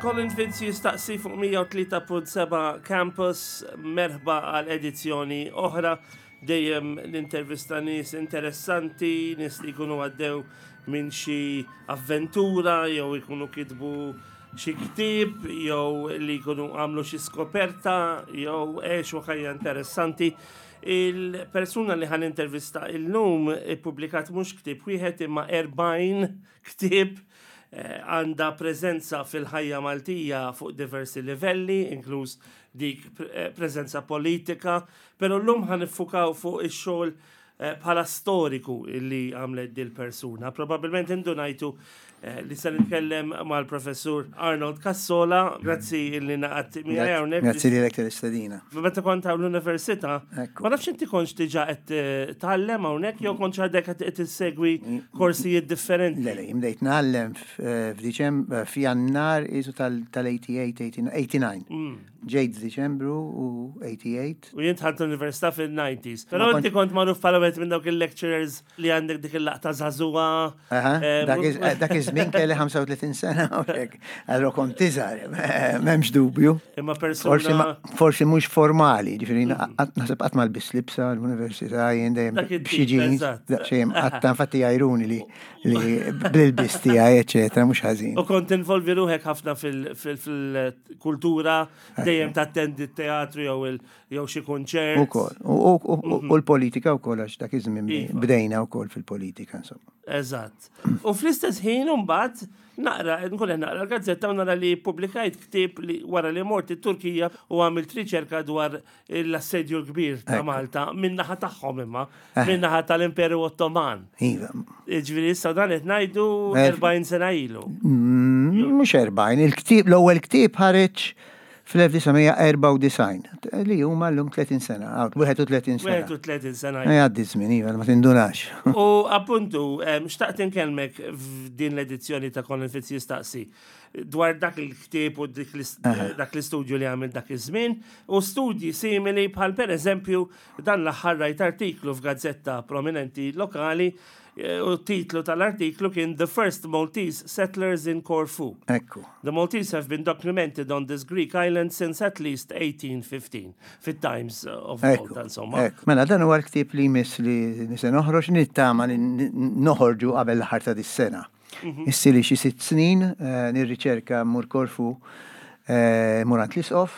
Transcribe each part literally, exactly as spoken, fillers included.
Colin Fitz Jistaqsi fuq mija u tlieta punt seba' Campus, merħba għal edizzjoni oħra. Dejjem l-intervista nies interessanti, nies li jkunu għaddew minn xi avventura, jew jkunu kitbu xi ktieb, jew li jkunu għamlu xi skoperta, jew għexu ħajja interessanti. Il-persuna li ħa nintervista illum ippubblikat mhux ktieb wieħed imma erbgħin ktieb, eh, għandha preżenza fil-ħajja Maltija fuq diversi livelli, inkluż dik eh, preżenza politika, pero llum ħa niffukaw fuq ix-xogħol eh, bħala storiku li għamlet dil persuna. Probabilment indunajtu eh, li se nitkellem mal-professur Arnold Cassola, grazzi illi ngħaqadt miegħi hawnhekk. Grazzi lilek tal-istedina. Meta kont hawn l-università, Ekku. ma nafx inti kontx diġà qed eh, tgħallem hawnhekk jew kontx għadek qed issegwi korsijiet differenti. Le, le, bdejt ngħallem f'Diċem, f'Jannar isu tal-tmenja u tmenin, tmenja u disgħin. Mm. Ġejt f'Diċembru u tmenja u disgħin. U jien dħalt l-università fil-disgħin. Però Ma inti kont magħruf bħala wieħed minn dawk il-lecturers li għandek dik il-laqta żagħżugħa. Aha, eh, dak iż- dak iż-żmien kelli ħamsa u tletin sena u hekk. Allora kont iżgħar, m'hemmx dubju. Imma Forsi persuna ma- Forsi mhux formali, ġifieri naħseb qatt ma lbist libsa l-università, jien dejjem Dak it-tip, b'xi jeans, eżatt. daqsxejn qatta, infatti jgħajruni li li bl-ilbis tiegħi, eċetera, mhux ħażin. U kont involvi ruħek ħafna fil-kultura, dejjem tattendi t-teatru jew il- jew xi konċert. Ukoll. U u- u l-politika wkoll, għax dak iż-żmien Iva. bdejna wkoll fil-politika, insomma. Eżatt. U fl-istess ħin mbagħad naqra, nkun qed naqra l-gazzetta u nara li publikajt ktieb li wara li mort it-Turkija u għamilt riċerka dwar l-assedju l-kbir ta' Ekku. Malta min-naħa tagħhom imma, min-naħa tal-Imperu Ottoman. Iva. Ġifieri issa dan qed ngħidu Eh, erbgħin sena ilu. Mm, Mhux erbgħin, il-ktieb, l-ewwel ktieb ħareġ fl-elf disa' mija erbgħa u disgħin, li huma llum tletin sena, għaw, wieħed u tletin sena. wieħed u tletin sena. Jgħaddi żmien, iva, ma tindunax. U appuntu, em, xtaqt inkellmek f'din l-edizzjoni ta' Colin Fitz Jistaqsi dwar dak il-ktieb u dik l- dak l-istudju li għamil dak iż-żmien u studji simili, bħal per eżempju dan l-aħħar rajt artiklu f'gazzetta prominenti lokali eh, u titlu tal-artiklu kien "The First Maltese Settlers in Corfu". Ekku. "The Maltese have been documented on this Greek island since at least eighteen fifteen" Fit-Times of Ekku. Malta, insomma. Ekku. Mela, dan huwa l-ktieb li jmiss li se noħroġ, nittama li noħorġu qabel l-aħħar ta' dis-sena. Ili xi sitt snin eh, nirriċerka, mmur Korfu, eh, mmur għand l-isqof,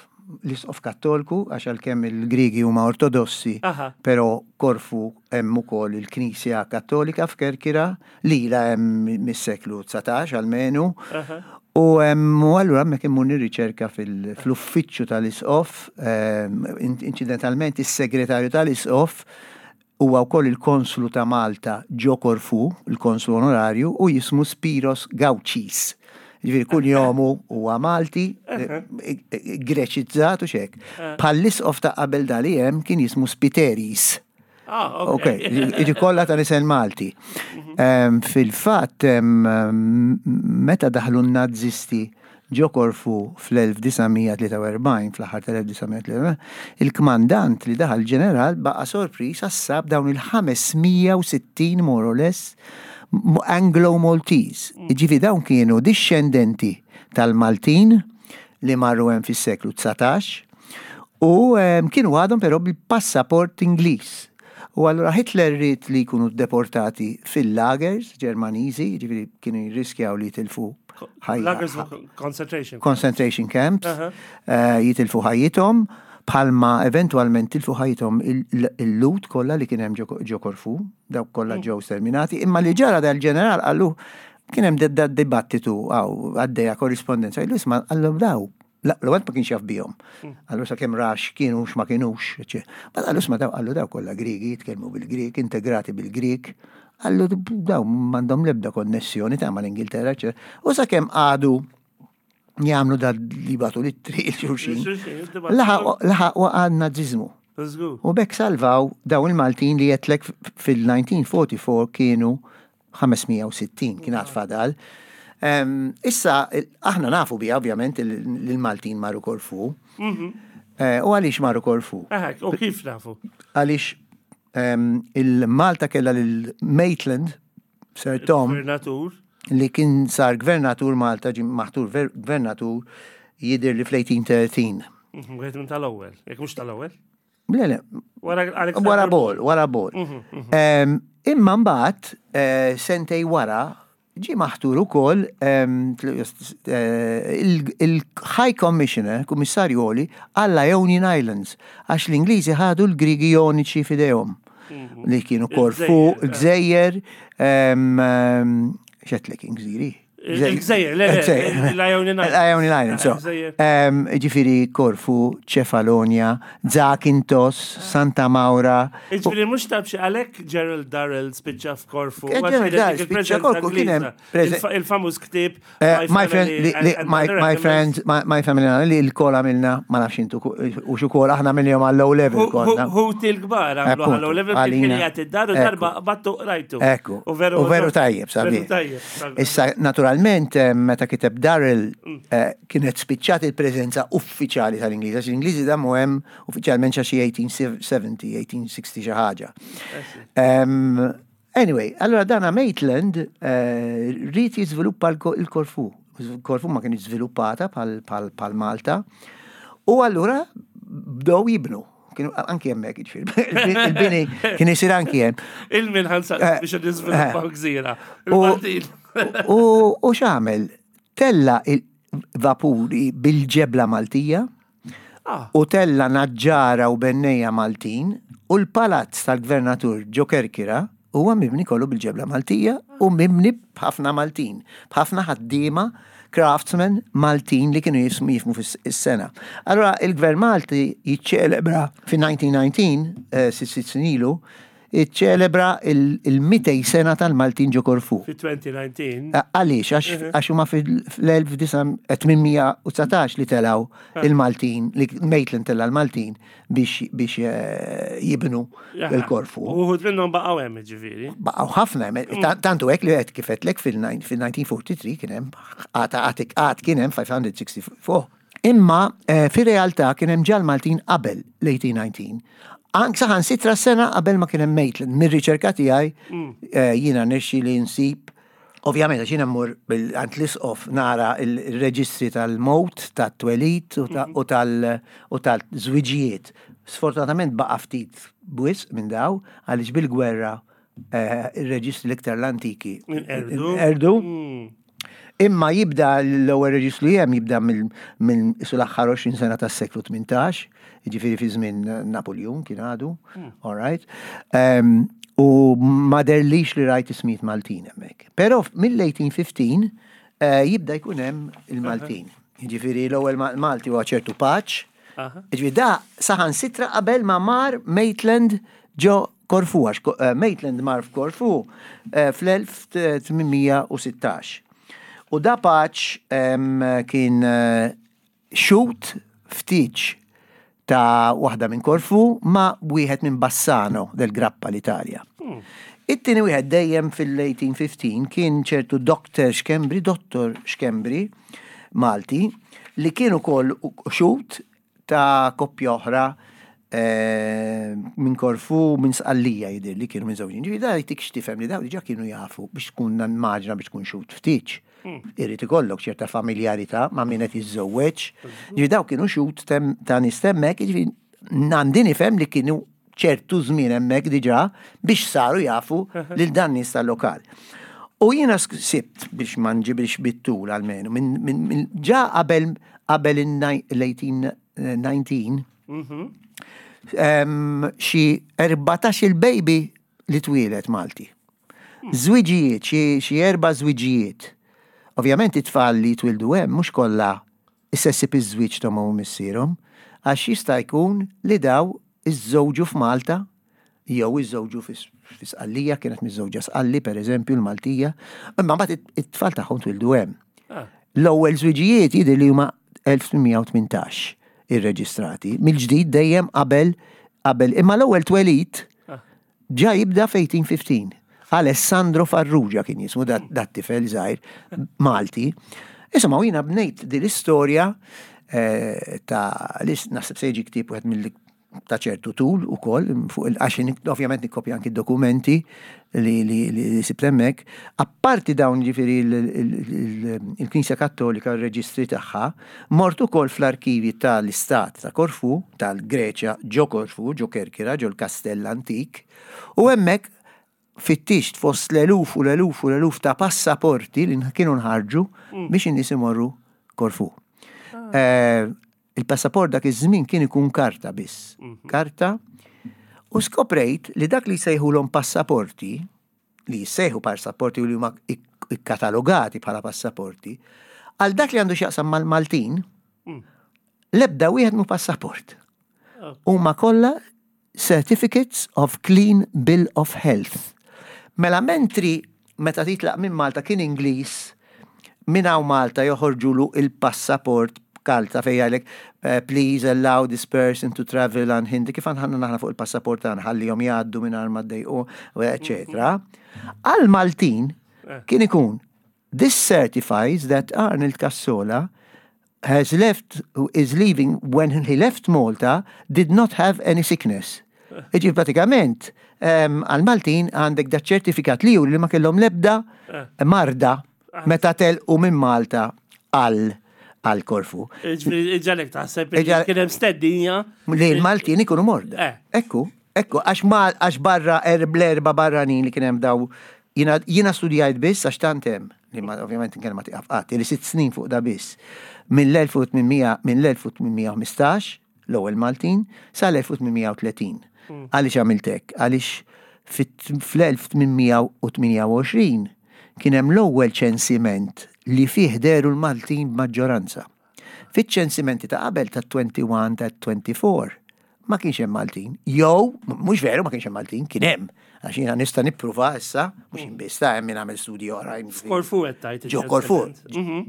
l-isqof Kattolku, għax għalkemm il-Grigi huma Ortodossi, Aha. pero Korfu hemm ukoll il-Knisja Kattolika f'Kerkira li la hemm mis-seklu dsatax almenu. Aha. U em, u allura hemmhekk immur nirriċerka fil- fl-uffiċċju tal-isqof, em, in- incidentalment is-segretarju tal-isqof huwa wkoll il-konslu ta' Malta ġo Korfu, il-konslu onorarju, u jismu Spiros Gaucis. Ġifieri kull jomu huwa Malti, eh, eh, Greċizzat u hekk. Bħall-isqof ta' qabel dali hemm kien jismu Spiteris. Ah, Ok, iġi kollha ta' nisel Malti. Em, Fil-fatt, em, meta daħlu n-Nazisti ġo Korfu fl-elf disa' mija tlieta u erbgħin, fl-aħħar tal-elf disa' mija tlieta u erbgħin, il-kmandant li daħal ġeneral baqa sorpriż għax sab dawn il-ħames mija u sittin more or less Anglo-Maltese. Ġifi dawn kienu discendenti tal-Maltin li marru hemm fis-seklu dsatax u em, kienu għadhom però bil-passaport Ingliż. U allura Hitler ried li jkunu deportati fil-lagers Ġermaniżi, ġifieri kienu jirriskjaw li jitilfu ħajja- Lagers concentration. Concentration camps, Aha. eh, jitilfu ħajjithom, bħalma eventualment tilfu ħajjithom il-Lhud kollha li kien hemm ġo ġo Korfu, dawk kollha ġew sterminati, imma li ġara, dal-ġeneral qallu, kien hemm da dibattitu għaw għaddejja korrispondenza, qallu, "Isma'," qallu, "daw, l-ewwel ma kienx jaf bihom. Qallu sakemm rax kienux ma kienux, eċe. Ma qallu, isma', daw," qallu, "daw kollha Grigi, jitkellmu bil-Grik, integrati bil-Grik." Qallu, "Daw m'għandhom l-ebda konnessjoni ta' mal-Ingilterra, eċe." U sakemm għadu jagħmlu da li bagħtu l-ittri lil xulxin, laħaq waqa' n-Nazizmu. Żgur. U b'hekk salvaw dawn il-Maltin li għedtlek fil-elf disa' mija erbgħa u erbgħin kienu ħames mija u sittin, kien għad fadal. Em, Issa, aħna nafu bija, ovvjament, il-Maltin marru Korfu. Eh, U għaliex marru Korfu? Aha, u kif nafu? Għaliex em, il-Malta kella lil Maitland, Sir Tom, Gvernatur. li kien sar gvernatur Malta, ġie maħtur ver- gvernatur jidher li fl-eighteen thirteen. Mhm, wieħed minn tal-ewwel, jekk mhux tal-ewwel. Le, le, Wara Alexander. Wara Ball, wara Ball. Em, Imma mbagħad eh, sentejn wara ġie maħtur ukoll em, tl- eh, il- il-High Commissioner, Kummissarju Għoli, għall Ionian Islands, għax l-Ingliżi ħadu l-Grigi Joniċi f'idejhom li kienu Korfu, Il-gżejjer, il-gżejjer, em, em, x'għedtlek il-gżiri? Il-gżejjer, le, le, l-Ionian Islands. L-Ionian Islands, so. Il-gżejjer. Em, Ġifieri Korfu, Ċefalonia, Zakynthos, Santa Maura. Ġifieri mhux tabxi għalek Gerald Durrell spiċċa f'Korfu. Eh, Gerald Durrell spiċċa Korfu, kien hemm prese- Il-famuż ktieb Eh, My friend, li, li, and my, Other my Animals. friends, my, my family, li l-kol għamilna, ma nafx intu u x'ukoll aħna għamilnihom għall-O level konna. Ħuti l-kbar għamlu Appunto, għall-O level kien għalina. jgħati id-dar u Ekku. darba battu rajtu. Ekku, U veru u veru tajjeb, sabiħ. Veru tajjeb. Sabiħ. Issa, naturalment, eh, meta kiteb Durrell, eh, kienet spiċċat il-preżenza uffiċjali tal-Ingliż, għax l-Ingliżi damu hemm uffiċjalment xi eighteen seventy, eighteen sixty xi ħaġa. Um, anyway, allora dana Maitland eh, ried jiżviluppa l- il-Korfu. Korfu ma kien żviluppata bħal, bħal, bħal Malta. U allura bdew jibnu. Kienu anki hemmhekk, ġifieri. Il-bini kien isir anki hemm. Il-min ħansa Eh, biex niżviluppaw gżira. U- Il-Maltin. U u x'għamel? Tella il-vapuri bil-ġebla Maltija Ah, u tella naġġara u bennejja Maltin u l-palazz tal-gvernatur ġo Kerkira huwa mibni kollu bil-ġebla Maltija u mibni b'ħafna Maltin, b'ħafna ħaddiema, craftsmen Maltin li kienu jismu jifhmu fis-sengħa. Allora il-gvern Malti jiċċelebra fi elfejn u dsatax, eh, sitt sitt snin ilu, jiċċelebra il-mitejn sena tal-Maltin ġo Korfu. Fi elfejn u dsatax. Għaliex, għax għax huma fil-elf disa' tmien mija u dsatax li telaw il-Maltin, li Maitland tella l-Maltin biex biex eh, jibnu il-Korfu. U uħud minnhom baqgħu hemm, ġifieri. Baqgħu ħafna, hemm, ta- tantu hekk li qed kif għedtlek fil-elf disa' mija u erbgħa u erbgħin kien hemm għad għad għad kien hemm ħamsmija u sitta u ħamsin. Imma eh, fir-realtà kien hemm ġa l-Maltin qabel l-eighteen nineteen. Ank saħansitra sena qabel ma kien hemm Maitland. Mir-riċerka tiegħi eh, jiena nirxi li nsib. Ovvjament, għax jiena mmur għand l-isqof nara il-reġistri tal-mowt, tat-twelid u ta- u tal- u tal-żwiġijiet. Sfortunatament baqa' ftit biss minn daw, għaliex bil-gwerra eh, il-reġistri l-iktar l-antiki Inqerdu. Erdu. Mm. Imma jibda l-ewwel reġistru li hemm jibda mill mill isu l-aħħar għoxrin sena tas-seklu tmintax, jiġifieri fi żmien Napoleon kien għadu, all right. Um, u ma deherlix li rajt ismijiet Maltin hemmhekk. Però mill-eighteen fifteen eh, jibda jkun hemm il-Maltin. Jiġifieri l-ewwel Ma- Malti huwa ċertu Paċ. Aha. Ġifieri da saħansitra qabel ma mar Maitland ġo Korfu, għax Ko- eh, Maitland mar f'Korfu eh, fl-elf tmien mija u sittax. U da Paċ em, kien eh, xhud f'tieġ ta' waħda minn Korfu ma' wieħed minn Bassano del Grappa, l-Italja. It-tieni wieħed dejjem fil-eighteen fifteen kien ċertu Doctor Schembri, Dottor Schembri Malti, li kien ukoll xhud ta' koppja oħra eh, minn Korfu, minn Sqallija jidher li kienu minn żewġin. Ġifieri da jtik x'tifhem li daw diġà kienu jafu biex tkun maġna biex tkun xhud f'tieġ. Irid ikollok ċerta familjarità ma' min qed jiżżewweġ. Ġifieri daw kienu xhud tem- ta' nies hemmhekk, ġifieri għandi nifhem li kienu ċertu żmien hemmhekk diġà biex saru jafu lil dan nies tal-lokal. U jiena sibt biex ma nġibix bit-tul almenu, minn min, min, ġa qabel qabel il-eighteen nineteen em, xi erbatax il-baby li twieled Malti. Żwiġijiet, xi xi erba' żwiġijiet. Ovvjament it-tfal li twildu hemm mhux kollha issessib iż-żwieġ ta' u missierhom, għax jista' jkun li daw iżżewġu f'Malta jew iżżewġu fi Sqallija, kienet miżżewġa Sqalli, per eżempju, l-Maltija, imma mbagħad it- it-tfal tagħhom twildu hemm. Ah. L-ewwel żwiġijiet jidher li huma elf tmien mija u tmintax irreġistrati, mill-ġdid dejjem qabel qabel imma l-ewwel twelid ġa jibda f'eighteen fifteen. Alessandro Farrugia kien jismu dat dat tifel żgħir Malti. Insomma, u jiena bnejt din l-istorja eh, ta' li naħseb se jiġi ktieb wieħed mill ta' ċertu tul ukoll, fuq il għax ovvjament nikkopja anki dokumenti li li li sibt hemmhekk. Apparti dawn, ġifieri il-Knisja Kattolika, r-reġistri tagħha, mort ukoll fl-arkivi tal-Istat ta' Korfu, tal-Greċja, ġo Korfu, ġo Kerkira, ġo l-Kastell Antik, u hemmhekk fittixt fost l-eluf u l-eluf u l-eluf ta' passaporti li kienu nħarġu biex in-nies imorru Korfu. Eh, Il-passaport dak iż-żmien kien ikun karta biss. Karta. U skoprejt li dak li jsejħulhom passaporti, li jissejħu passaporti u li huma ik- ikkatalogati bħala passaporti, għal dak li għandu x'jaqsam mal-Maltin, l-ebda wieħed mhu passaport. Huma kollha Certificates of Clean Bill of Health. Mela mentri meta titlaq minn Malta kien Ingliż minn hawn Malta joħorġulu il-passaport karta fejn jgħidlek eh, "Please allow this person to travel unhindered", kif għandna naħna fuq il-passaport tagħna, ħallihom jgħaddu minn ma ddejqu, eċetera. Għal Maltin kien ikun "This certifies that Arnold Cassola has left, is leaving, when he left Malta, did not have any sickness." Iġi pratikament, għal-Maltin għandek da ċertifikat li juri li ma kellhom lebda marda meta telqu minn Malta għal għal Korfu. Iġġagħlek taħseb li Iġġal- kien hemm stedinja. Li l-Maltin ikunu morda. Eh. Ekku, ekku, għax mal, għax barra erb l-erba barranin li kien hemm daw, jiena, jiena studjajt biss għax tant hemm, li ma ovvjament nkellem ma tiqaf qatt, li sitt snin fuq da biss. Mill-elf u tmien mija, mill-elf u tmien mija u ħmistax, l-ewwel Maltin, sal-elf u tmien mija u tletin. Għaliex għamilt hekk? Għaliex fl-elf u tmien mija u tmienja u għoxrin kien hemm l-ewwel ċensiment li fih deru l-Maltin b'maġġoranza. Fiċ-ċensimenti ta' qabel, ta' wieħed u għoxrin, ta' erbgħa u għoxrin, ma kienx hemm Maltin. Jew, mhux veru ma kienx hemm Maltin, kien hemm. Għax jiena nista' nippruva issa, mhux inbiss ta' hemm min għamel studji oħrajn. Korfu qed tgħid. Ġo Korfu,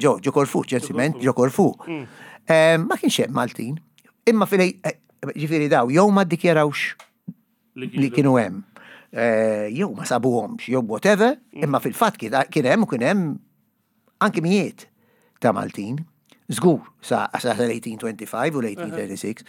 ġo ġo Korfu, ċensiment, ġo Korfu. Eh, Ma kienx hemm Maltin. Imma fil eh, ġifieri daw, jew ma ddikjarawx li kienu hemm. Eh, Jew ma sabuhomx, jew whatever, imma fil-fatt kien kien hemm u kien hemm anki mijiet ta' Maltin. Żgur, sa sa l-elf u tmien mija u ħamsa u għoxrin u l-elf u tmien mija u tlieta u tletin.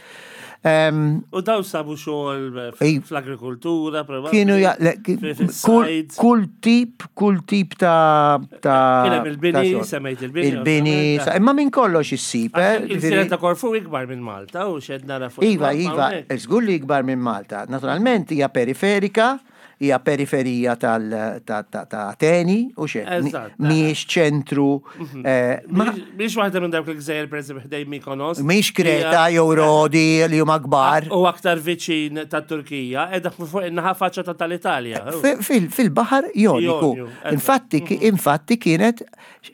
Em, U daw sabu xogħol Ej. fl-agrikoltura, probabbli. Kienu ja, le, ki- fi- kull, fis-sajd. kull tip, kull tip ta' ta' Kien hemm il-bini, ta' xogħol. semmejt il-bini, Il-bini, ovvjament. sa- imma minn kollox issib, eh, Il-gżira ġifieri- ta' Korfu ikbar minn Malta u xed nara fuq Iva, il-mappa iva, hawnhekk. żgur li ikbar minn Malta. Naturalment hija periferika, hija periferija tal ta' ta' ta' Ateni u xejn. Eżatt. Mhijiex ċentru, eh, ma Mhix waħda minn dawk il-gżejjer, pereżempju ħdejn Mykonos. mhix Kreta jew Rodi li huma kbar. U aktar viċin ta' Turkija, edha fuq in-naħa faċċata tal-Italja. Fi- fil- Fil-baħar Joniku. Jonju, eżatt. Infatti, infatti kienet,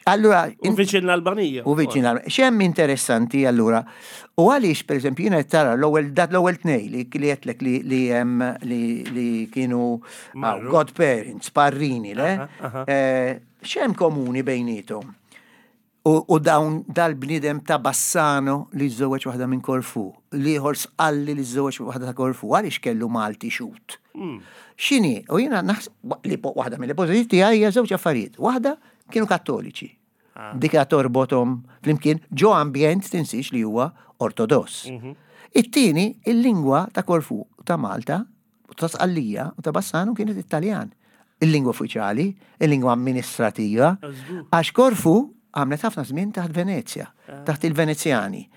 allura, U viċin l-Albanija. U viċin l X'hemm interessanti allura? U għaliex, per eżempju, jiena tara l-ewwel dat l-ewwel tnej li li għedtlek li li hemm li li kienu ah, Marru. godparents, parrini, le? Aha, aha. Eh, X'hemm komuni bejnietom? U, u dawn dal-bnidem ta' Bassano li żżewweġ waħda minn Korfu, l-ieħor Sqalli li żżewweġ waħda ta' Korfu, għaliex kellu Malti xut? X'inhi? U jiena naħseb li po- waħda mill-ipoteżi tiegħi hija żewġ affarijiet. Waħda, kienu Kattoliċi. Dik torbothom flimkien ġo ambjent, tinsix, li huwa ortodoss. It-tieni, il-lingwa ta' Korfu, ta' Malta, ta' Sqallija u ta' Bassano kienet Italjan. Il-lingwa uffiċjali, il-lingwa amministrativa, Żgur. għax Korfu għamlet ħafna żmien taħt Venezja, taħt il-Venezjani.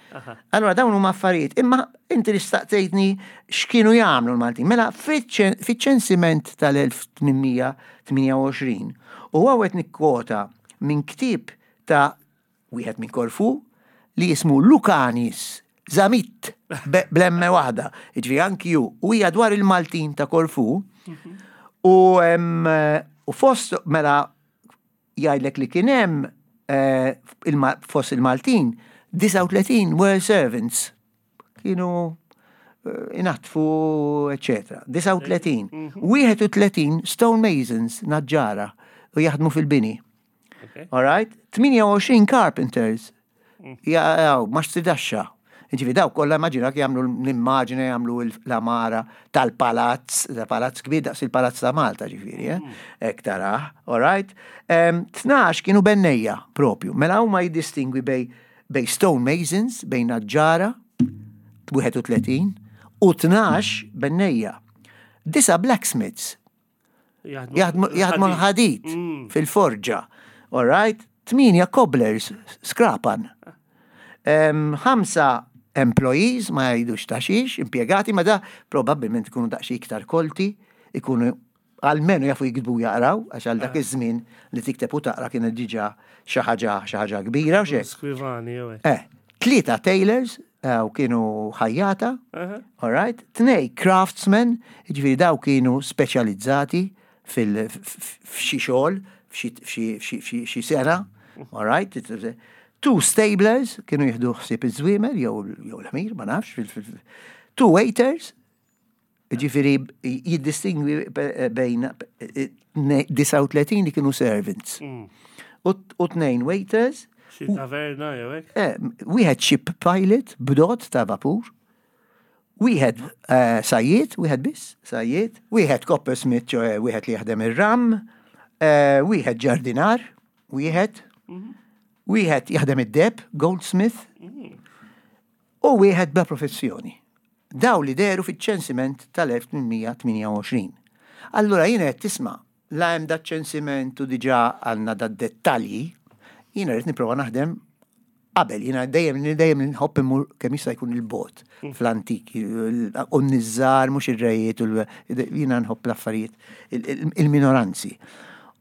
Allora dawn huma affarijiet, imma inti li staqsejtni x'kienu jagħmlu l-Maltin. Mela fiċ- fiċ-ċensiment tal-elf u tmien mija u tmienja u għoxrin, u hawn nikkwota minn ktieb ta' wieħed minn Korfu li jismu Lukanis Zamit be- bl-emme waħda, ġifieri anki ju, u hija dwar il-Maltin ta' Korfu, u em, u fost mela jgħidlek li kien hemm eh, il-Ma- fost il-Maltin disgħa u tletin were servants, kienu eh, inaddfu, eccetera. disgħa u tletin. Wieħed u tletin stone masons, naġġara u jaħdmu fil-bini. Okay. All right? tmienja u għoxrin carpenters. Jaw, mastridaxxa. Ġifieri daw kollha, immaġina jagħmlu l-immaġina, jagħmlu l-għamara tal-palazz, ta' palazz kbir daqs il-palazz ta' Malta ġifieri, eh? Hekk tarah, all right? Em, tnax kienu bennejja propju. Mela huma jiddistingwi bej bej stone masons, bejn naġġara, wieħed u tletin, U tnax bennejja. Disa' blacksmiths. Jaħdmu jaħdmu l-ħadid Mm. fil-forġa. All right? Tmienja cobblers, skrapan. Em, Ħamsa employees, ma jgħidux ta' xiex, impiegati, ma da probabbilment ikunu daqsxejn iktar kolti, ikunu almenu jafu jiktbu, jaqraw, għax għal dak iż-żmien li tikteb u taqra kienet diġà xi ħaġa xi ħaġa kbira u xek. Skrivani, jew hekk. Eh, tlieta tailors, eh, u kienu ħajjata, Aha. all right? Tnej craftsmen, ġifieri daw kienu speċjalizzati fil- f- f'xi xogħol, f'xi- f'xi- f'xi f'xi- xi sena, all right? Two stablers, kienu jieħdu ħsieb iż-żwiemel jew jew l-ħmir, ma nafx. fil- fil- Two waiters, ġifieri jiddistingwi bejn disgħa u tletin li kienu servants. Mm. U u tnejn waiters, Xi taverna jew hekk. Eh, wieħed ship pilot, bdot ta' vapur, wieħed eh, sajjied, wieħed biss, sajjied, wieħed coppersmith, ċoè wieħed li jaħdem ir-ram, eh, wieħed ġardinar, wieħed, wieħed jaħdem id-deheb, goldsmith, u wieħed bla professjoni. Daw li dehru fiċ-ċensiment tal-elf tmien mija tmienja u għoxrin. Allura jiena qed tisma' la hemm da ċensiment u diġà għandna da dettalji, jiena rrid nipprova naħdem qabel, jiena dejjem dejjem nħobb immur kemm jista' jkun il-bogħod fl-antik, u n-nizzar, mhux ir-rejiet, u l- jiena nħobb l-affarijiet, il- il- il-minoranzi.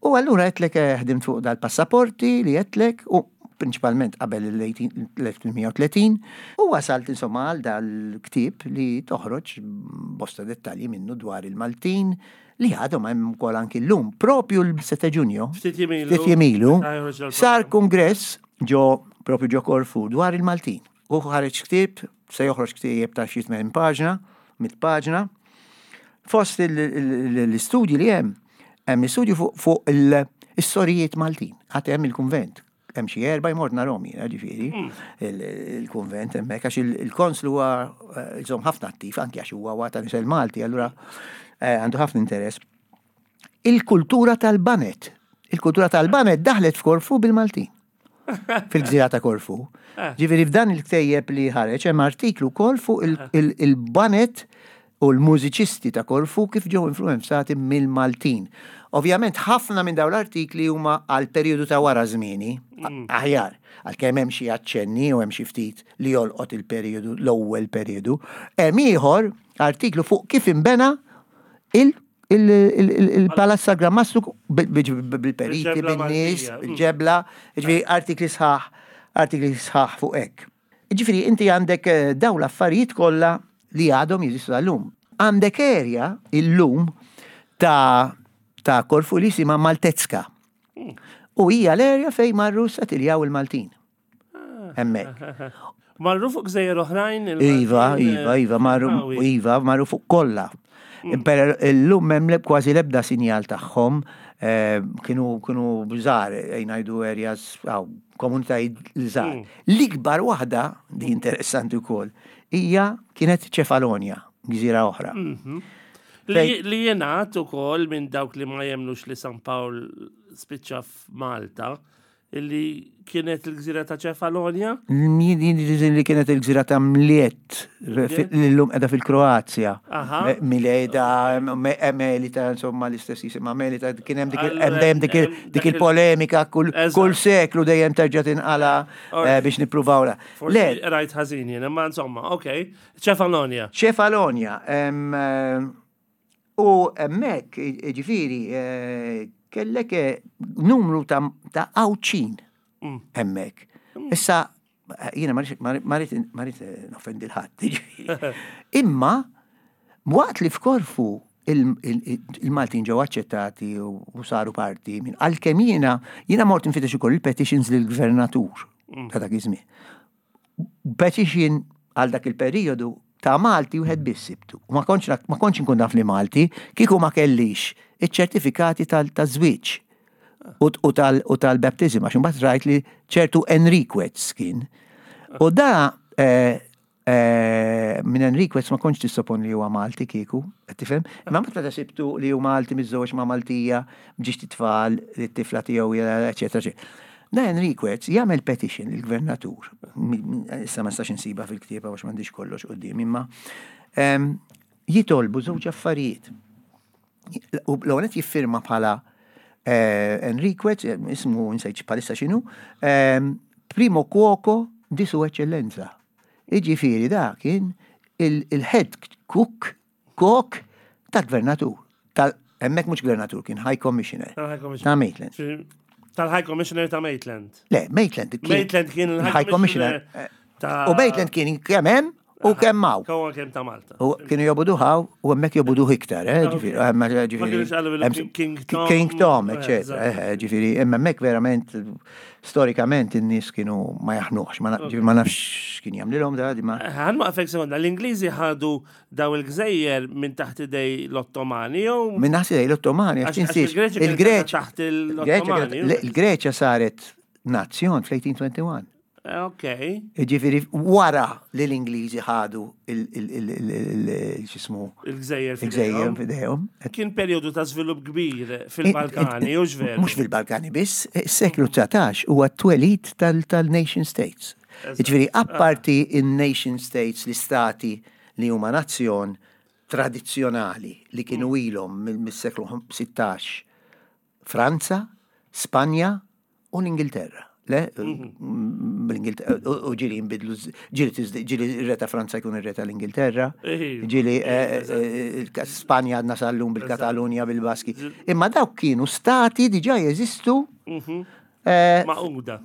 U allura għedtlek eh, ħdimt fuq dal-passaporti li għedtlek, u prinċipalment qabel l-elf tmien mija tletin, u wasalt insomma għal dal-ktib li toħroġ bosta dettalji minnu dwar il-Maltin li għadhom hemm ukoll anki llum. Propju l-sette Ġunju, Ftit jiem ilu. ftit jiem ilu, Ah, joħroġ dal- sar kongress ġo propju ġo Korfu dwar il-Maltin. U ħareġ ktib, se joħroġ ktieb ta' xi tmien paġna, mitt paġna. Fost il- il- l-istudji li hemm, hemm istudju fuq fuq il-sorijiet Maltin. Għad hemm il-kunvent. Hemm xi erba' jmort narahom jiena ġifieri il- il-kunvent hemmhekk għax il- il-konslu huwa eh, iżomm ħafna attiv anki għax huwa huwa ta' nisel Malti, allura eh, għandu ħafna interess. Il-kultura tal-baned. Il-kultura tal-baned daħlet f'Korfu bil-Maltin. Fil-gżira ta' Korfu. Ġifieri f'dan il-ktejjeb li ħareġ hemm artiklu wkoll fuq il- il- il-baned u l-mużiċisti ta' Korfu kif ġew influenzati mill-Maltin. Ovvjament ħafna minn dawn l-artikli huma għal perjodu ta' wara żmieni, aħjar, għalkemm hemm xi aċċenni u hemm xi ftit li jolqot il-perjodu, l-ewwel perjodu. Hemm ieħor artiklu fuq kif imbena il- il- il- il- il-Palazz Gran Mastru bil- bil- bil-periti, Bil-ġebla bin-nies, Maltija. bil-ġebla, ġifieri artikli sħaħ, artikli sħaħ fuq hekk. Ġifieri inti għandek eh, dawn l-affarijiet kollha li għadhom jeżistu għallum. Għandek area illum ta' ta' Korfu li jisimha Maltezka. U hija l-area fejn marru settiljaw il-Maltin. Hemmhekk. Marru fuq gżejjer oħrajn? il-Maltin, Iva, eh, iva, iva, marru, Awi. iva, marru fuq kollha. Per illum hemm leb- kważi lebda sinjal tagħhom, eh, kienu kienu żgħar, ngħidu areas, aw, komunitajiet żgħar. L-ikbar waħda, di interessanti wkoll, hija kienet Ċefalonja, gżira oħra. Li, li jingħad ukoll minn dawk li ma jemnux li San Pawl spiċċa f'Malta, illi kienet il-gżira ta' Ċefalonja. Li kienet il-gżira ta' Mliet, li l-lum qiegħda fil-Kroazja. Aha. Me- Mileda, Me- Melita, insomma l-istess jisimha Melita, kien hemm dik il- Allura, hemm dejjem dik il- hemm dik dak il- il-polemika kull Eżatt. kull seklu dejjem terġa' tinqala eh, biex nippruvaw la. Forsi Le, rajt ħażin jien, imma insomma, ok. Ċefalonja. Ċefalonja, em, eh, u hemmhekk ġifieri eh, kellek eh, numru ta' ta' Għawdxin Mm. hemmhekk. Issa, eh, jiena ma rrid ma rrid noffendi l-ħadd, ġifieri. Imma, waqt li f'Korfu il- il- il-Maltin ġew aċċettati u u saru parti minn għalkemm jiena jiena mort nfittex ukoll il-petitions lill-gvernatur ta' dak iż-żmien. Petition għal dak il-perjodu ta' Malti wieħed biss sibtu. U ma kontx ma kontx inkun naf li Malti, kieku ma kellix iċ-ċertifikati tal-żwieġ u u tal- u tal-baptism, għax imbagħad rajt li ċertu Enriquez kien. U da eh, eh, minn Enriquez ma kontx tissopon li huwa Malti kieku, qed tifhem? Imma mbagħad meta sibtu li huwa Malti miżżewweġ ma' Maltija, b'żewġt itfal, li t-tifla tiegħu, eċetera, eċetera. Da Enriquez jagħmel petition lill-gvernatur. Issa ma nistax insiba fil-ktieb għax m'għandix kollox quddiem, imma em, jitolbu żewġ affarijiet. U l-ewwel jiffirma bħala eh, Enriquez, eh, ismu nsejt bħalissa x'inhu, em, primo cuoco di su eccellenza. Iġifieri da kien il-head cook, cook tal-gvernatur. Tal hemmhekk mhux gvernatur, kien High Commissioner Tal-High Commissioner. Ta' Maitland. Tal-High Commissioner ta' Maitland. Le, Maitland kien Maitland kien il-High Commissioner ta' U Maitland kien kemm hemm u kemm hawn. Kawa kemm ta' Malta. U kienu jobogħduh hawn u hemmhekk jobogħduh iktar, eh, ġifieri, hemm- ġifieri. Ma kienux qalu hemm- King Tom. King Tom, Eh, eccetera, eżatt. eh, ġifieri, imma hemmhekk verament storikament in-nies kienu ma jaħnuhx, ma na- ġifieri ma nafx kien jagħmlilhom da, di ma. Ħa nwaqqfek sekonda, l-Ingliżi ħadu daw il-gżejjer minn taħt idej l-Ottomani jew Minn naħsi dej l-Ottomani, għax Għax- għax tinsiex, il-Greċja kienet il-Greċja taħt l-Ottomani. il-Greċja saret nazzjon fl-eighteen twenty-one. Eh, Ok. Ġifieri, wara li l-Ingliżi ħadu il-xismu Il-gżejjer il-gżejjer f'idejhom. f'idejhom. Kien perjodu ta' żvilupp kbir fil-Balkani, u veru? Mhux fil-Balkani biss, is-seklu dsatax huwa t-twelid tal-nation states. Ġifieri, apparti in-nation states, l-istati li huma nazzjon tradizzjonali li kienu ilhom mill-seklu sittax, Franza, Spanja u l-Ingilterra. Le, l-Ingilterra, u ġieli jinbidlu, ġieli tiżdi- ġieli ir-re ta' Franza jkun ir-re tal-Ingilterra, Iva. ġieli eh, eh, Spanja għadna sal-lum bil-Katalunja, bil-Baski. Imma dawk kienu stati diġà jeżistu eh, Magħquda.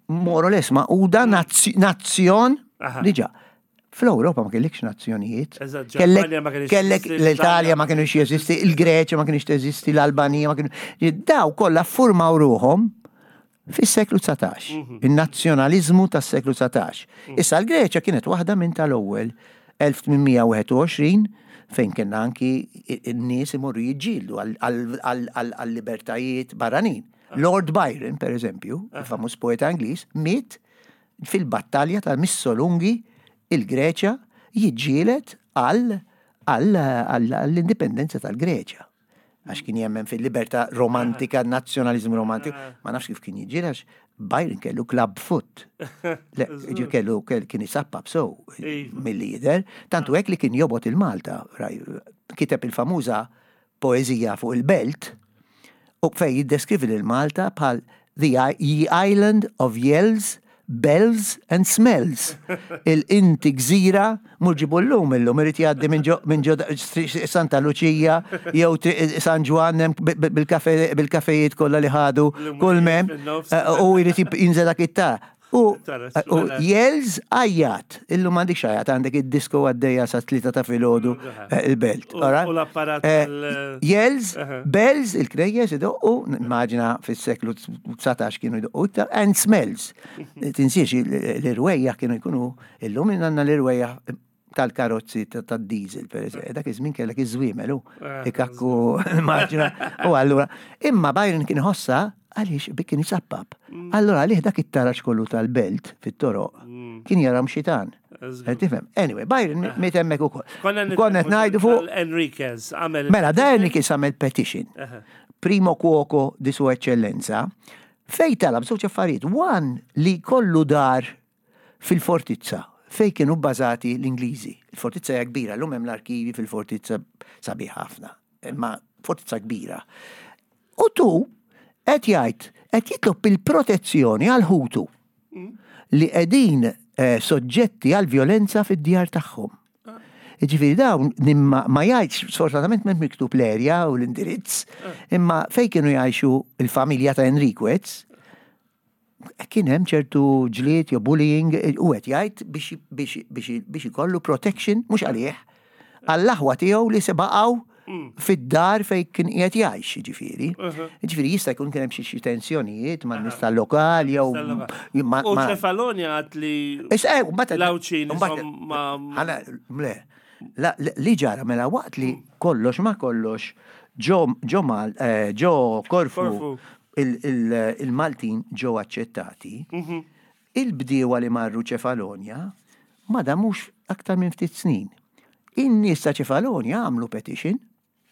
more or less magħquda nazzjon Aha. diġà. Fl-Ewropa ma kellekx nazzjonijiet. Eżatt, Kellek Ġermanja ma kienx kellek teżisti, l-Italja ma kienux jeżisti, il-Greċja ma kienx teżisti, l-Albanija ma kienu. Daw kollha ffurmaw ruħhom fis-seklu dsatax. Mhm. Il-nazzjonalizmu tas-seklu dsatax. Issa l-Greċja kienet waħda minn tal-ewwel elf tmien mija u wieħed u għoxrin fejn kienna anki n-nies imorru jiġġieldu għal-libertajiet barranin. Lord Byron, per eżempju, il-famuż poeta Ingliż, miet fil-battalja ta' Missolungi, il-Greċja, jiġġieled għall-indipendenza tal-Greċja. Għax kien jemmen fil-libertà romantika, nazzjonalizmu romantiku, ma nafx kif kien jiġġieled, għax Byron kellu club foot. Le, ġi kellu kell- kien isappap so Iva. mill-lider, tantu hekk li kien jobgħod il-Malta, raj, kiteb il-famuża poezija fuq il-belt, u fej jiddeskrivi lil Malta bħal the ye island of yells, bells and smells. Il-inti gżira, mur ġibu l-lum illum, irid jgħaddi minn ġo- minn ġo Santa Lucia, jew tri- San Ġwann hemm bil-kafe- bil-kafejiet kollha li ħadu, kull mem, fin-nofs. u jrid jinżel dak it-ta. U Tara, u mela. yells, għajjat, illum m'għandekx għajjat, għandek id-disco għaddejja sa tlieta ta' filgħodu eh, il-belt. U- alright? u l-apparat Eh, tal- Yells, Aha. bells, il-knejjes idoqqu, immaġina fis-seklu dsatax kienu idoqqu iktar, and smells. Tinsiex l-irwejjaħ kienu jkunu, illum għandna l-irwejjaħ tal-karozzi ta- tad-diesel, per eżempju, dak iż-żmien kellek iż-żwiemel, u Eh, ikakku, immaġina, u allura, imma Byron kien ħossa għaliex bi kien jisappap. Allura għalih dak it-taraġ kollu tal-belt fit-toroq kien jaram xitan. Żgur. Tifhem? Anyway, Byron miet hemmhekk ukoll. Konna Konna qed ngħidu fuq Enriquez għamel. Mela, da Enriquez għamel petition. Primo cuoco di sua eccellenza, fej talab żewġ affarijiet. One, li kollu dar fil-fortizza, fej kienu bbażati l-Ingliżi. Il-fortizza hija kbira, llum hemm l-arkivi fil-fortizza, sabiħ ħafna, imma fortizza kbira. U tu qed jgħid qed jitlob il-protezzjoni għal ħutu li qegħdin eh, soġġetti għal violenza fid-djar tagħhom. Ġifieri dawn nimma ma jgħidx, sfortunatament m'hemm miktub l-erja u l-indirizz, imma fej kienu jgħixu il-familja ta' Enriquez, kien hemm ċertu ġlied jew bullying u qed jgħid biex biex biex biex ikollu protection mhux għalih, għall-aħwa tiegħu li se baqgħu fid-dar fej kien qiegħed jgħix, ġifieri. Ġifieri jista' jkun kien hemm xi xi tensjonijiet man nies tal-lokal jew ma- U ma- Ċefalonja għat li Issa, eh, u mbagħad- l-Għawdxin u mbagħad- ma. Ħana, le, la- li ġara mela waqt li kollox ma kollox ġo ġo Mal, eh, ġo Korfu Korfu. il- il- il-Maltin ġew aċċettati, il-bdiewa li marru Ċefalonja ma damux aktar minn ftit snin. In-nies ta' Ċefalonja għamlu petition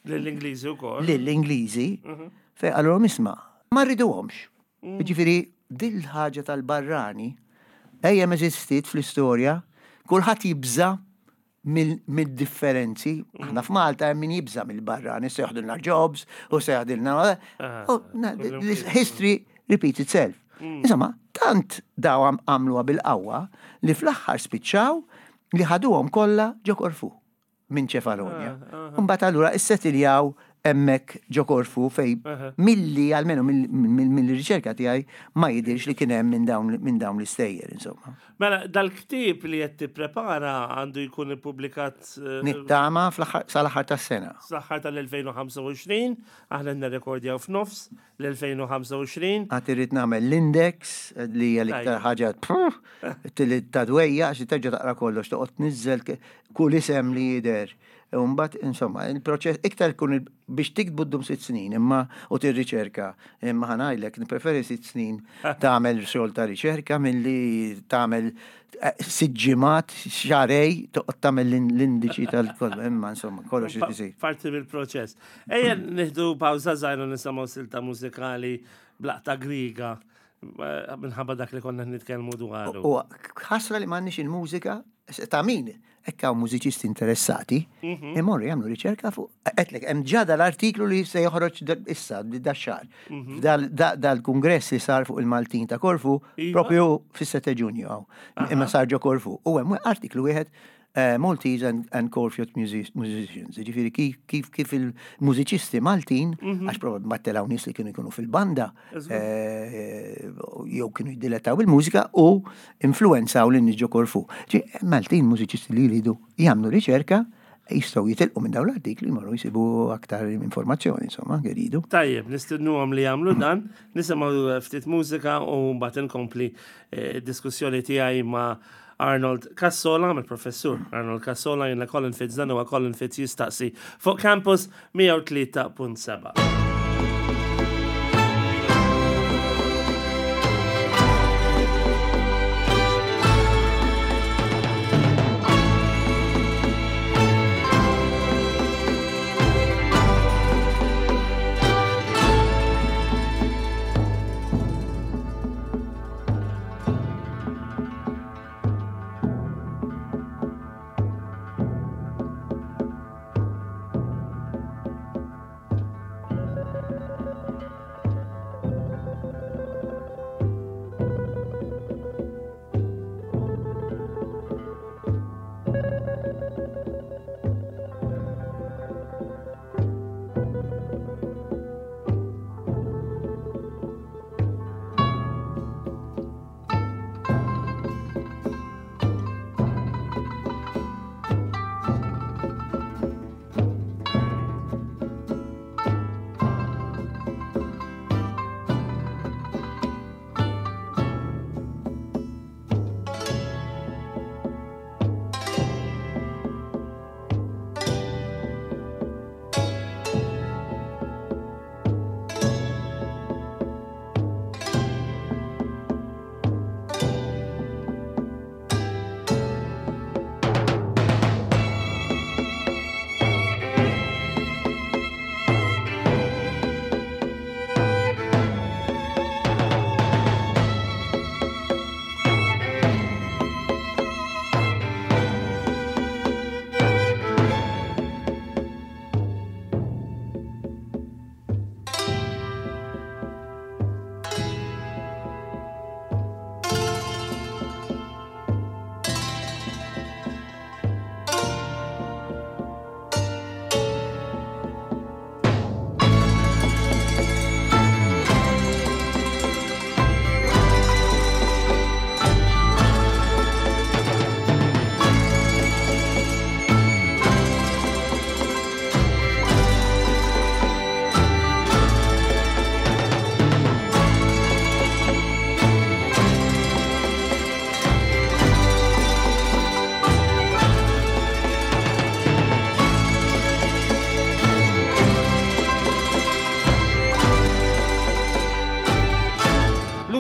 L-Ingliżi u kol. lill-Ingliżi fej qalulhom, "Isma', ma rriduhomx. Ġifieri Dil-ħaġa tal-barrani ejjem eżistiet fl-istorja, kulħadd jibża mill-differenzi. Aħna f'Malta hemm min jibża mill-barrani, se joħdilna jobs u se joħdilna. History repeats itself. Insomma, tant daw għamluha bil-qawwa li fl-aħħar spiċċaw li ħaduhom kollha ġo Korfu minn Ċefalonja. Mbagħad allura issetiljaw hemmhekk ġo Korfu fej milli almenu mill-riċerka tiegħi ma jidirx li kien hemm minn dawn l-istejjer, insomma. Mela, dal-ktieb li qed tipprepara għandu jkun ippubblikat Nittama sal-aħħar tas-sena. Sal-aħħar tal-elfejn u ħamsa u għoxrin, aħna nirrekordjaw f'nofs l-elfejn u ħamsa u għoxrin. Għad irrid nagħmel l-index li hija l-iktar ħaġa ta' dwejja, għax terġa' taqra kollox, toqgħod tniżżel kull isem li jidher. Mbagħad, insomma, il-proċess iktar kun biex tiktbu ddum sitt snin, imma u tirriċerka. Imma ħa ngħidlek, nippreferi sitt snin tagħmel xogħol ta' riċerka milli tagħmel sitt ġimgħat, xahrejn, toqgħod tagħmel l-indiċi tal-kollu, imma insomma, kollox isir. Parti mill-proċess. Ejja nieħdu pawża żgħira, nisimgħu silta mużikali blaqta Griega minħabba dak li konna nitkellmu dwaru. U ħasra li m'għandniex il-mużika ta' min hekk hawn mużiċisti interessati, imorru jagħmlu riċerka fuq. Għedtlek, hemm ġa dal-artiklu li se joħroġ issa dax-xahar. Dal-kungress li sar fuq il-Maltin ta' Korfu, propju fis-sette Ġunju hawn. Imma sar ġo Korfu. U hemm artiklu wieħed, Maltese and, and Corfiot musicians. Ġifieri kif, kif, kif il-mużiċisti Maltin, għax probabbli mattelaw nies li kienu jkunu fil-banda, jew kienu jiddilettaw il-mużika u influenzaw lin-nies ġo Korfu. Ġi, Maltin mużiċisti li jridu jagħmlu riċerka, jistgħu jitilqu minn dawn l-artikli, jmorru jsibu aktar informazzjoni, insomma, jridu. Tajjeb, nistennuhom li jagħmlu dan, nisimgħu ftit mużika u mbagħad inkompli diskussjoni tiegħi ma' Arnold Cassola, mill-professur Arnold Cassola, jiena Colin Fitz, dan huwa Colin Fitz Jistaqsi fuq Campus mija u tlieta punt seba'.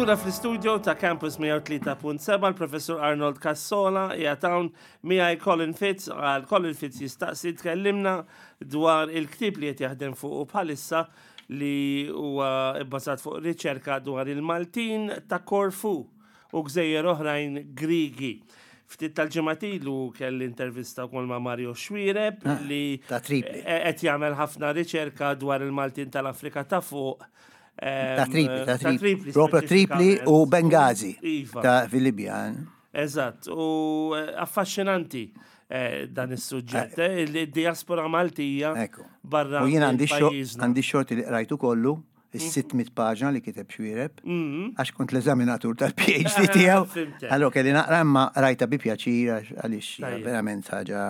Lura fl-studio ta' Campus mija u tlieta punt seba' l-Professor Arnold Cassola qiegħed hawn miegħi Colin Fitz għal Colin Fitz Jistaqsi. Tkellimna dwar il-ktieb li qed jaħdem fuq bħalissa, li huwa bbażat fuq riċerka dwar il-Maltin ta' Korfu u gżejjer oħrajn Grigi. Ftit tal-ġimgħat ilu kelli intervista wkoll ma' Mario Xuereb Ah, li ta' Tripli. qed jagħmel ħafna riċerka dwar il-Maltin tal-Afrika ta' fuq. Ta' Tripli, ta' Tripli. Proprio Tripli u Benghazi. Iva. Ta' fil-Libja. Eżatt, u eh, affaxxinanti eh, dan is-suġġett, eh, il-diaspora Maltija Ekku. barra U jien għandi xo- pajjiżna. għandi xorti li qrajtu kollu, is-sitt mitt paġna li kiteb Xuereb, għax kont l-eżaminatur tal-P H D tiegħu. Fhimtek. Allora kelli naqra, imma rajta bi pjaċir għax- għaliex hija Tajjeb. verament ħaġa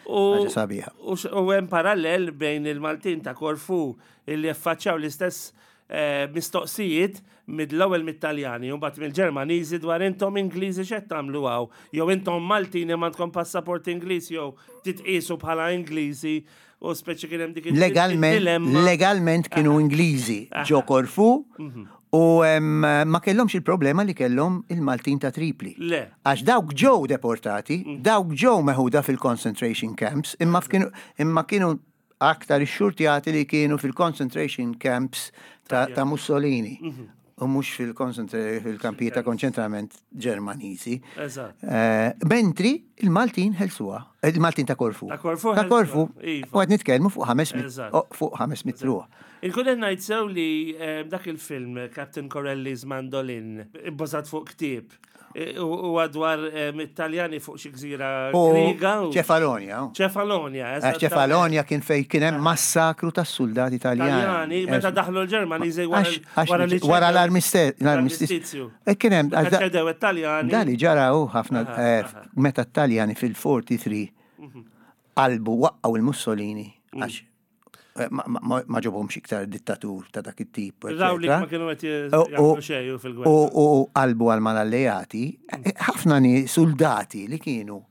U ħaġa sabiħa. U x- u hemm parallel bejn il-Maltin ta' Korfu illi affaċċjaw l-istess eh, mistoqsijiet mill-ewwel mit-Taljani u mbagħad mill-Ġermaniżi dwar intom Ingliżi x'qed tagħmlu hawn, jew intom Maltin imma għandkom passaport Ingliż jew titqisu bħala Ingliżi, u speċi kien hemm dik il- Legalment, il-dilemma. Legalment kienu Ingliżi ġo Korfu u em, ma kellhomx il-problema li kellhom il-Maltin ta' Tripli. Le. Għax dawk ġew deportati, dawk ġew meħuda fil-concentration camps, imma kienu, imma kienu aktar ix-xurtjati li kienu fil-concentration camps ta', ta Mussolini. U mhux fil-kampijiet ta' konċentrament Ġermaniżi. Eżatt. Eh, Mentri il-Maltin ħelsuha, il-Maltin ta' Korfu. Ta' Korfu Ta' Korfu. ħelsuha, iva. U qed nitkellmu fuq ħames mitt Eżatt. oh, fuq ħames mitt ruħ. Inkun qed ngħid sew li eh, dak il-film Captain Corelli's Mandolin, ibbażat fuq ktieb, eh, u u dwar eh, Italjani fuq xi gżira U Griega u Ċefalonia. Ċefalonia. Għax Ċefalonia kien fej kien hemm massakru tas-soldati Taljani. Taljani, meta daħlu l-Ġermaniżi wara Għax- għax- wara li wara ċedew- l-armister- l-armistizju. E kien hemm Meta għax da- ċedew it-Taljani. Da li ġara u ħafna Aha, eh, aha. meta t-Taljani fil-erbgħa u erbgħin qalbu waqqaw il-Mussolini għax eh, ma- ma ma- ma ġobhomx iktar dittatur ta' dak it-tip. Raw li eccetera. ma kienu qed U- jagħmlu u- xejn fil-gwerra. U u qalbu għal mal-alleati, eh, ħafna ni soldati li kienu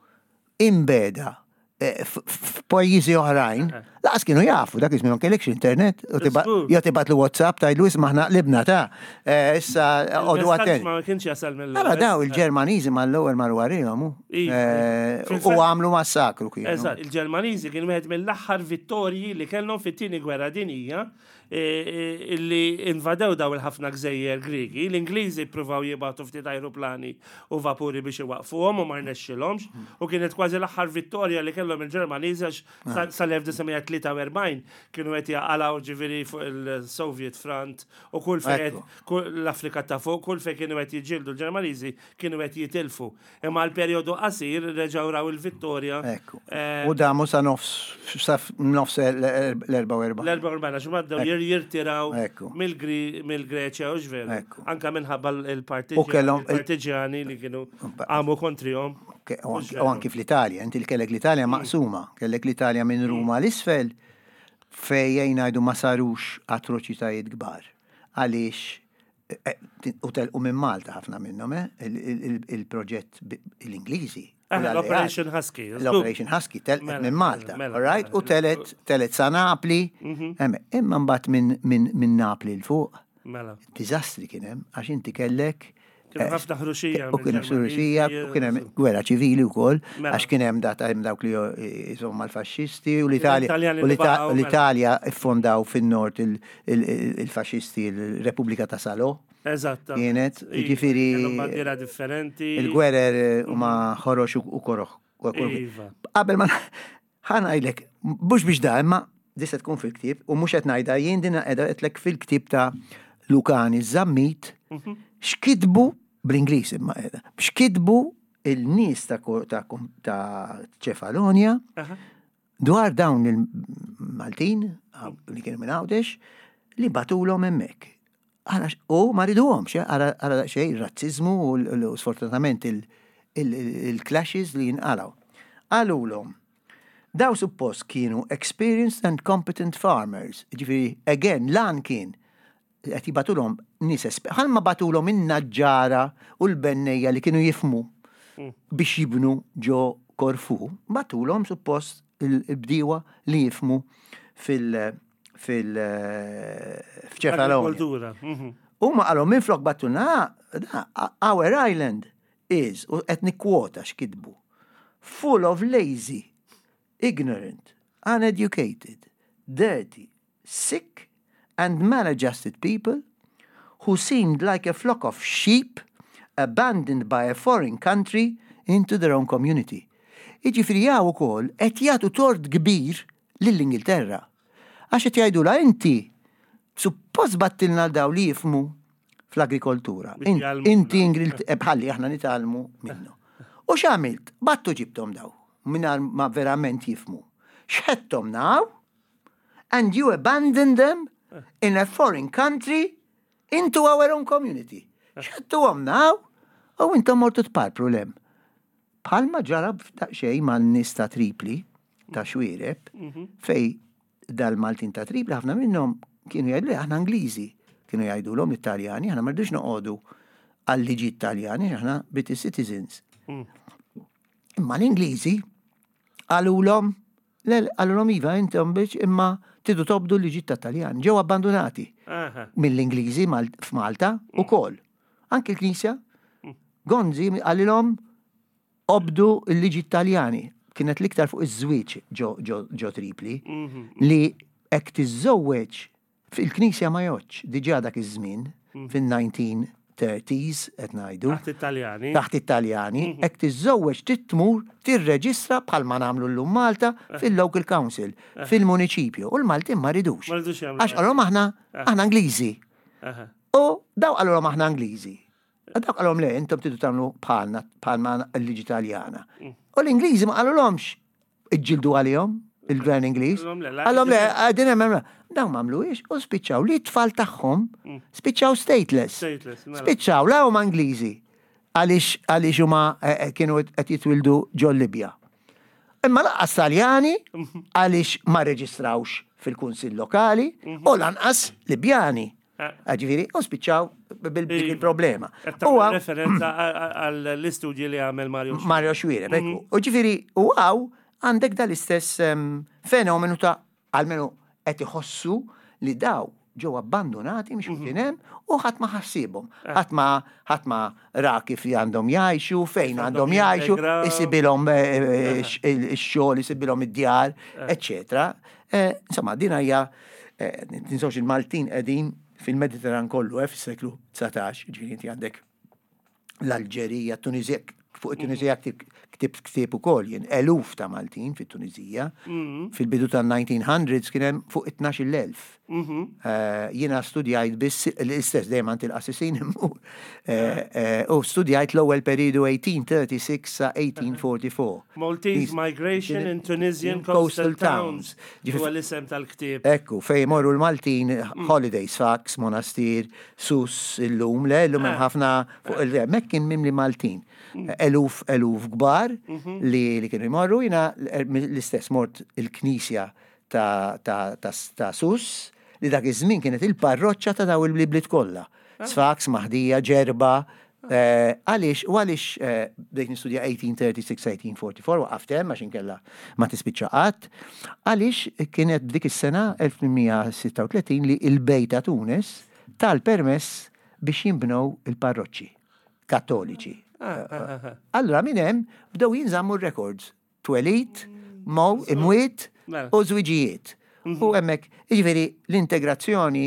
imbeda eh, f- f- f'pajjiżi oħrajn, lanqas kienu jafu, dak iż-żmien ma kellekx internet, u tiba- Żgur. jew tibgħatlu WhatsApp tgħidlu, "Isma', aħna qlibna ta' eh, issa għodu Il-messaġġ attenti." ma kienx jasal mill Ara daw il-Ġermaniżi mal-ewwel marru warihom hu. Iva. Eh, Fil-fatt- U għamlu massakru kienu. Eżatt, il-Ġermaniżi kien wieħed mill-aħħar vittorji li kellhom fit-tieni gwerra dinjija eh, eh, illi invadew daw il-ħafna gżejjer Grigi. L-Ingliżi ppruvaw jibgħatu ftit ajruplani u vapuri biex iwaqfuhom u ma rnexxilhomx, u kienet kważi l-aħħar vittorja li kellhom il-Ġermaniżi għax sa- sal-elf disa' mija tlieta u erbgħin kienu qed jaqalgħu, ġifieri, fuq il-Soviet Front u kull fejn Ekku. kull l-Afrika ta' fuq, kull fejn kienu qed jiġġieldu l-Ġermaniżi kienu qed jitilfu. Imma l-perjodu qasir reġgħu raw il-vittorja. Ekku. Eh, U damu sa nofs sa nofs l-erbgħa u erbgħin. L-erbgħa u erbgħin, għax bdew jirtiraw Ekku. mill-Gri- mill-Greċja u ġveru. Ekku. Anka minħabba U kellhom- il-partiġjani li kienu għamu kontrihom. Ke- U anki- u anki fl-Italja, inti kellek l-Italja maqsuma, kellek l-Italja minn Ruma l-isfel, fej jgħidu ma sarux atroċitajiet kbar. Għaliex, eh, eh, u telqu minn Malta ħafna minnhom, eh, il- il- il- il-proġett bi- l-Ingliżi. U Ah, l-Alleati. l-Operation Husky. L-Operation Husky telqet Mela, minn Malta, mela, all right? mela. U telet telet sa Napli, Emme, imma mbagħad minn min, min Napli 'l fuq, Mela. diżastri kien hemm, għax inti kellek Kienu eh, ħafna ħruxija U kien hemm ħruxija, u kien hemm gwerra ċivili wkoll, Mela. għax kien hemm data hemm dawk li insomma l-faxxisti u l-Italja Italjani u li l-Ita- baqgħu, u mela. l-Italja iffondaw fin-nord il- il- il- il-faxxisti il-Repubblika ta' Salò. Eżatt. Kienet, Iva, jiġifieri- kellhom bandiera differenti. Il-gwerer huma ħorox u u koroħ. Iva. Qabel ma ħa ngħidlek, mhux biex da, imma di se tkun fil-ktieb, u mhux qed ngħidha jien, din qiegħda qedlek fil-ktieb ta' Lukani Zammit, x'kitbu bl-Ingliż imma qiegħda. X'kitbu il-nies ta' ko- ta' kom- ta' Ċefalonia Aha. dwar dawn il-Maltin li kienu minn Għawdex li bagħtulhom hemmhekk. Ara, u ma riduhomx, eh, ara ara xejn razzizmu u l- u sfortunatament il- il- il-clashes li jinqalaw. Qalulhom, daw suppost kienu experienced and competent farmers. Ġifieri, again, lan kien qed jibagħtulhom nies esper- ħalma bagħtulhom in-naġġara u l-bennejja li kienu jifhmu biex jibnu ġo Korfu, bagħtulhom suppost il-bdiewa li jifhmu fil- fil- f'Ċefalonia. Agrikoltura. Mhm. Huma qalhom minflok bgħattulna, da, our island is, u qed nikkwota x'kitbu, full of lazy, ignorant, uneducated, dirty, sick, and maladjusted people who seemed like a flock of sheep abandoned by a foreign country into their own community. Iġifieri jaw ukoll qed jagħtu tort kbir lill-Ingilterra. Għax qed jgħidula inti suppost bgħattilna daw li jifhmu fl-agrikoltura. Biex In- jgħallmuna. Inti Ingil- eh, bħalli aħna nitgħallmu minnu. U x'għamilt? Bgħattu ġibtom daw, mingħajr ma verament jifhmu. Xħettom now, and you abandon them in a foreign country into our own community. Xħettuhom now, u intom mortu tparpru 'l hemm. Bħalma ġara daqsxejn man-nies ta' Tripli, ta' Xuereb, fejn dal-Maltin ta' Tripli, ħafna minnhom kienu jgħidu li aħna Ingliżi, kienu jgħidu l Italjani, aħna ma rridux noqogħdu għal-liġi Italjani, aħna British citizens. Imma l-Ingliżi qalulhom, le, qalulhom iva intom biex imma tridu tobdu l-liġi ta' Taljan, ġew abbandonati Aha. mill-Ingliżi Mal- f'Malta u kol. Anki l-Knisja, Gonzi qalilhom obdu l-liġi Taljani. Kienet l-iktar fuq iż-żwieġ ġo, ġo, ġo Tripli li hekk tiżżewweġ fil-Knisja ma jgħoddx diġà dak iż-żmien fin-nineteen thirties qed ngħidu Taħt Italjani. Taħt Italjani, hekk tiżżewweġ trid tmur tirreġistra bħalma nagħmlu llum Malta fil-local council, fil-municipju. U l-Maltin ma ridux. Ma ridux jagħmlu. Għax qalhom aħna aħna Ingliżi. Aha. U daw qalhom aħna Ingliżi. Daw qalhom le, intom tridu tagħmlu bħalna bħalma l-liġi Taljana. U l-Ingliżi ma qalulhomx iġġildu għalihom il-Gvern Ingliż. Qalhom le, la- Qalhom le, għadin hemm hemm. Dawn ma għamluhiex u spiċċaw li t-tfal tagħhom spiċċaw stateless. Stateless, mela. Spiċċaw la huma Ingliżi għaliex għaliex huma eh, eh, kienu qed jitwildu ġol Libja. Imma lanqas Taljani għaliex ma reġistrawx fil-kunsill lokali u lanqas Libjani. Eh. Ġifieri, u spiċċaw bil-dik il-problema. Qed U tagħmel għaw- referenza għall-istudji li għamel Mario. Mario Xuereb, ekku. U ġifieri, u għaw għandek dal-istess em, fenomenu ta' almenu qed iħossu li daw ġew abbandonati mhux kien hemm u ħadd ma ħassibhom. Ħadd ma ħadd ma ra kif għandhom jgħixu, fejn għandhom għandhom jgħixu, jintegraw. isibilhom eh, eh, x- il-xogħol, isibilhom id-djar, eċċetera. Eh, Insomma, din hija eh, tinsewx il-Maltin qegħdin fil-Mediterran kollu, eh, fis-seklu dsatax, ġifieri inti għandek l-Alġerija, Tunizija, fuq it-Tunizija ktib ktibt ktieb ukoll jien, eluf ta' Maltin fit-Tunizija. Fil-bidu ta' nineteen hundreds kien hemm fuq it-tnax-il elf. Eh, Jiena studjajt biss l-istess dejjem għand il-qassisin immur. Eh, eh, U studjajt l-ewwel periodu eighteen thirty-six sa eighteen forty-four. Maltese Migration in Tunisian Coastal Towns. Ġifieri- Huwa l-isem tal-ktieb. Ekku, fej morru l-Maltin, holidays, Sfax, Monastir, Sus, illum, le, illum hemm ħafna fuq il Mek kien mimli Maltin. Eluf, eluf kbar li, li kienu jmorru, jina l-istess mort il-knisja ta', ta, ta, ta' Sus, li dak iż-żmien kienet il-parroċċa ta' daw il-bliet kollha. Sfax, Maħdija, Ġerba, eh, għaliex, u għaliex eh, bdejt nistudja eighteen thirty-six eighteen forty-four, waqaft hemm għax inkella ma tispiċċa qatt, għaliex kienet dik is-sena eighteen thirty-six li il-Bej ta' Tunis tal-permess biex jinbnew il-parroċċi kattoliċi. Allora minn hemm bdew jinżammu r-records. Twelid, mow, imwiet Mela. u żwiġijiet. U hemmhekk, jiġifieri l-integrazzjoni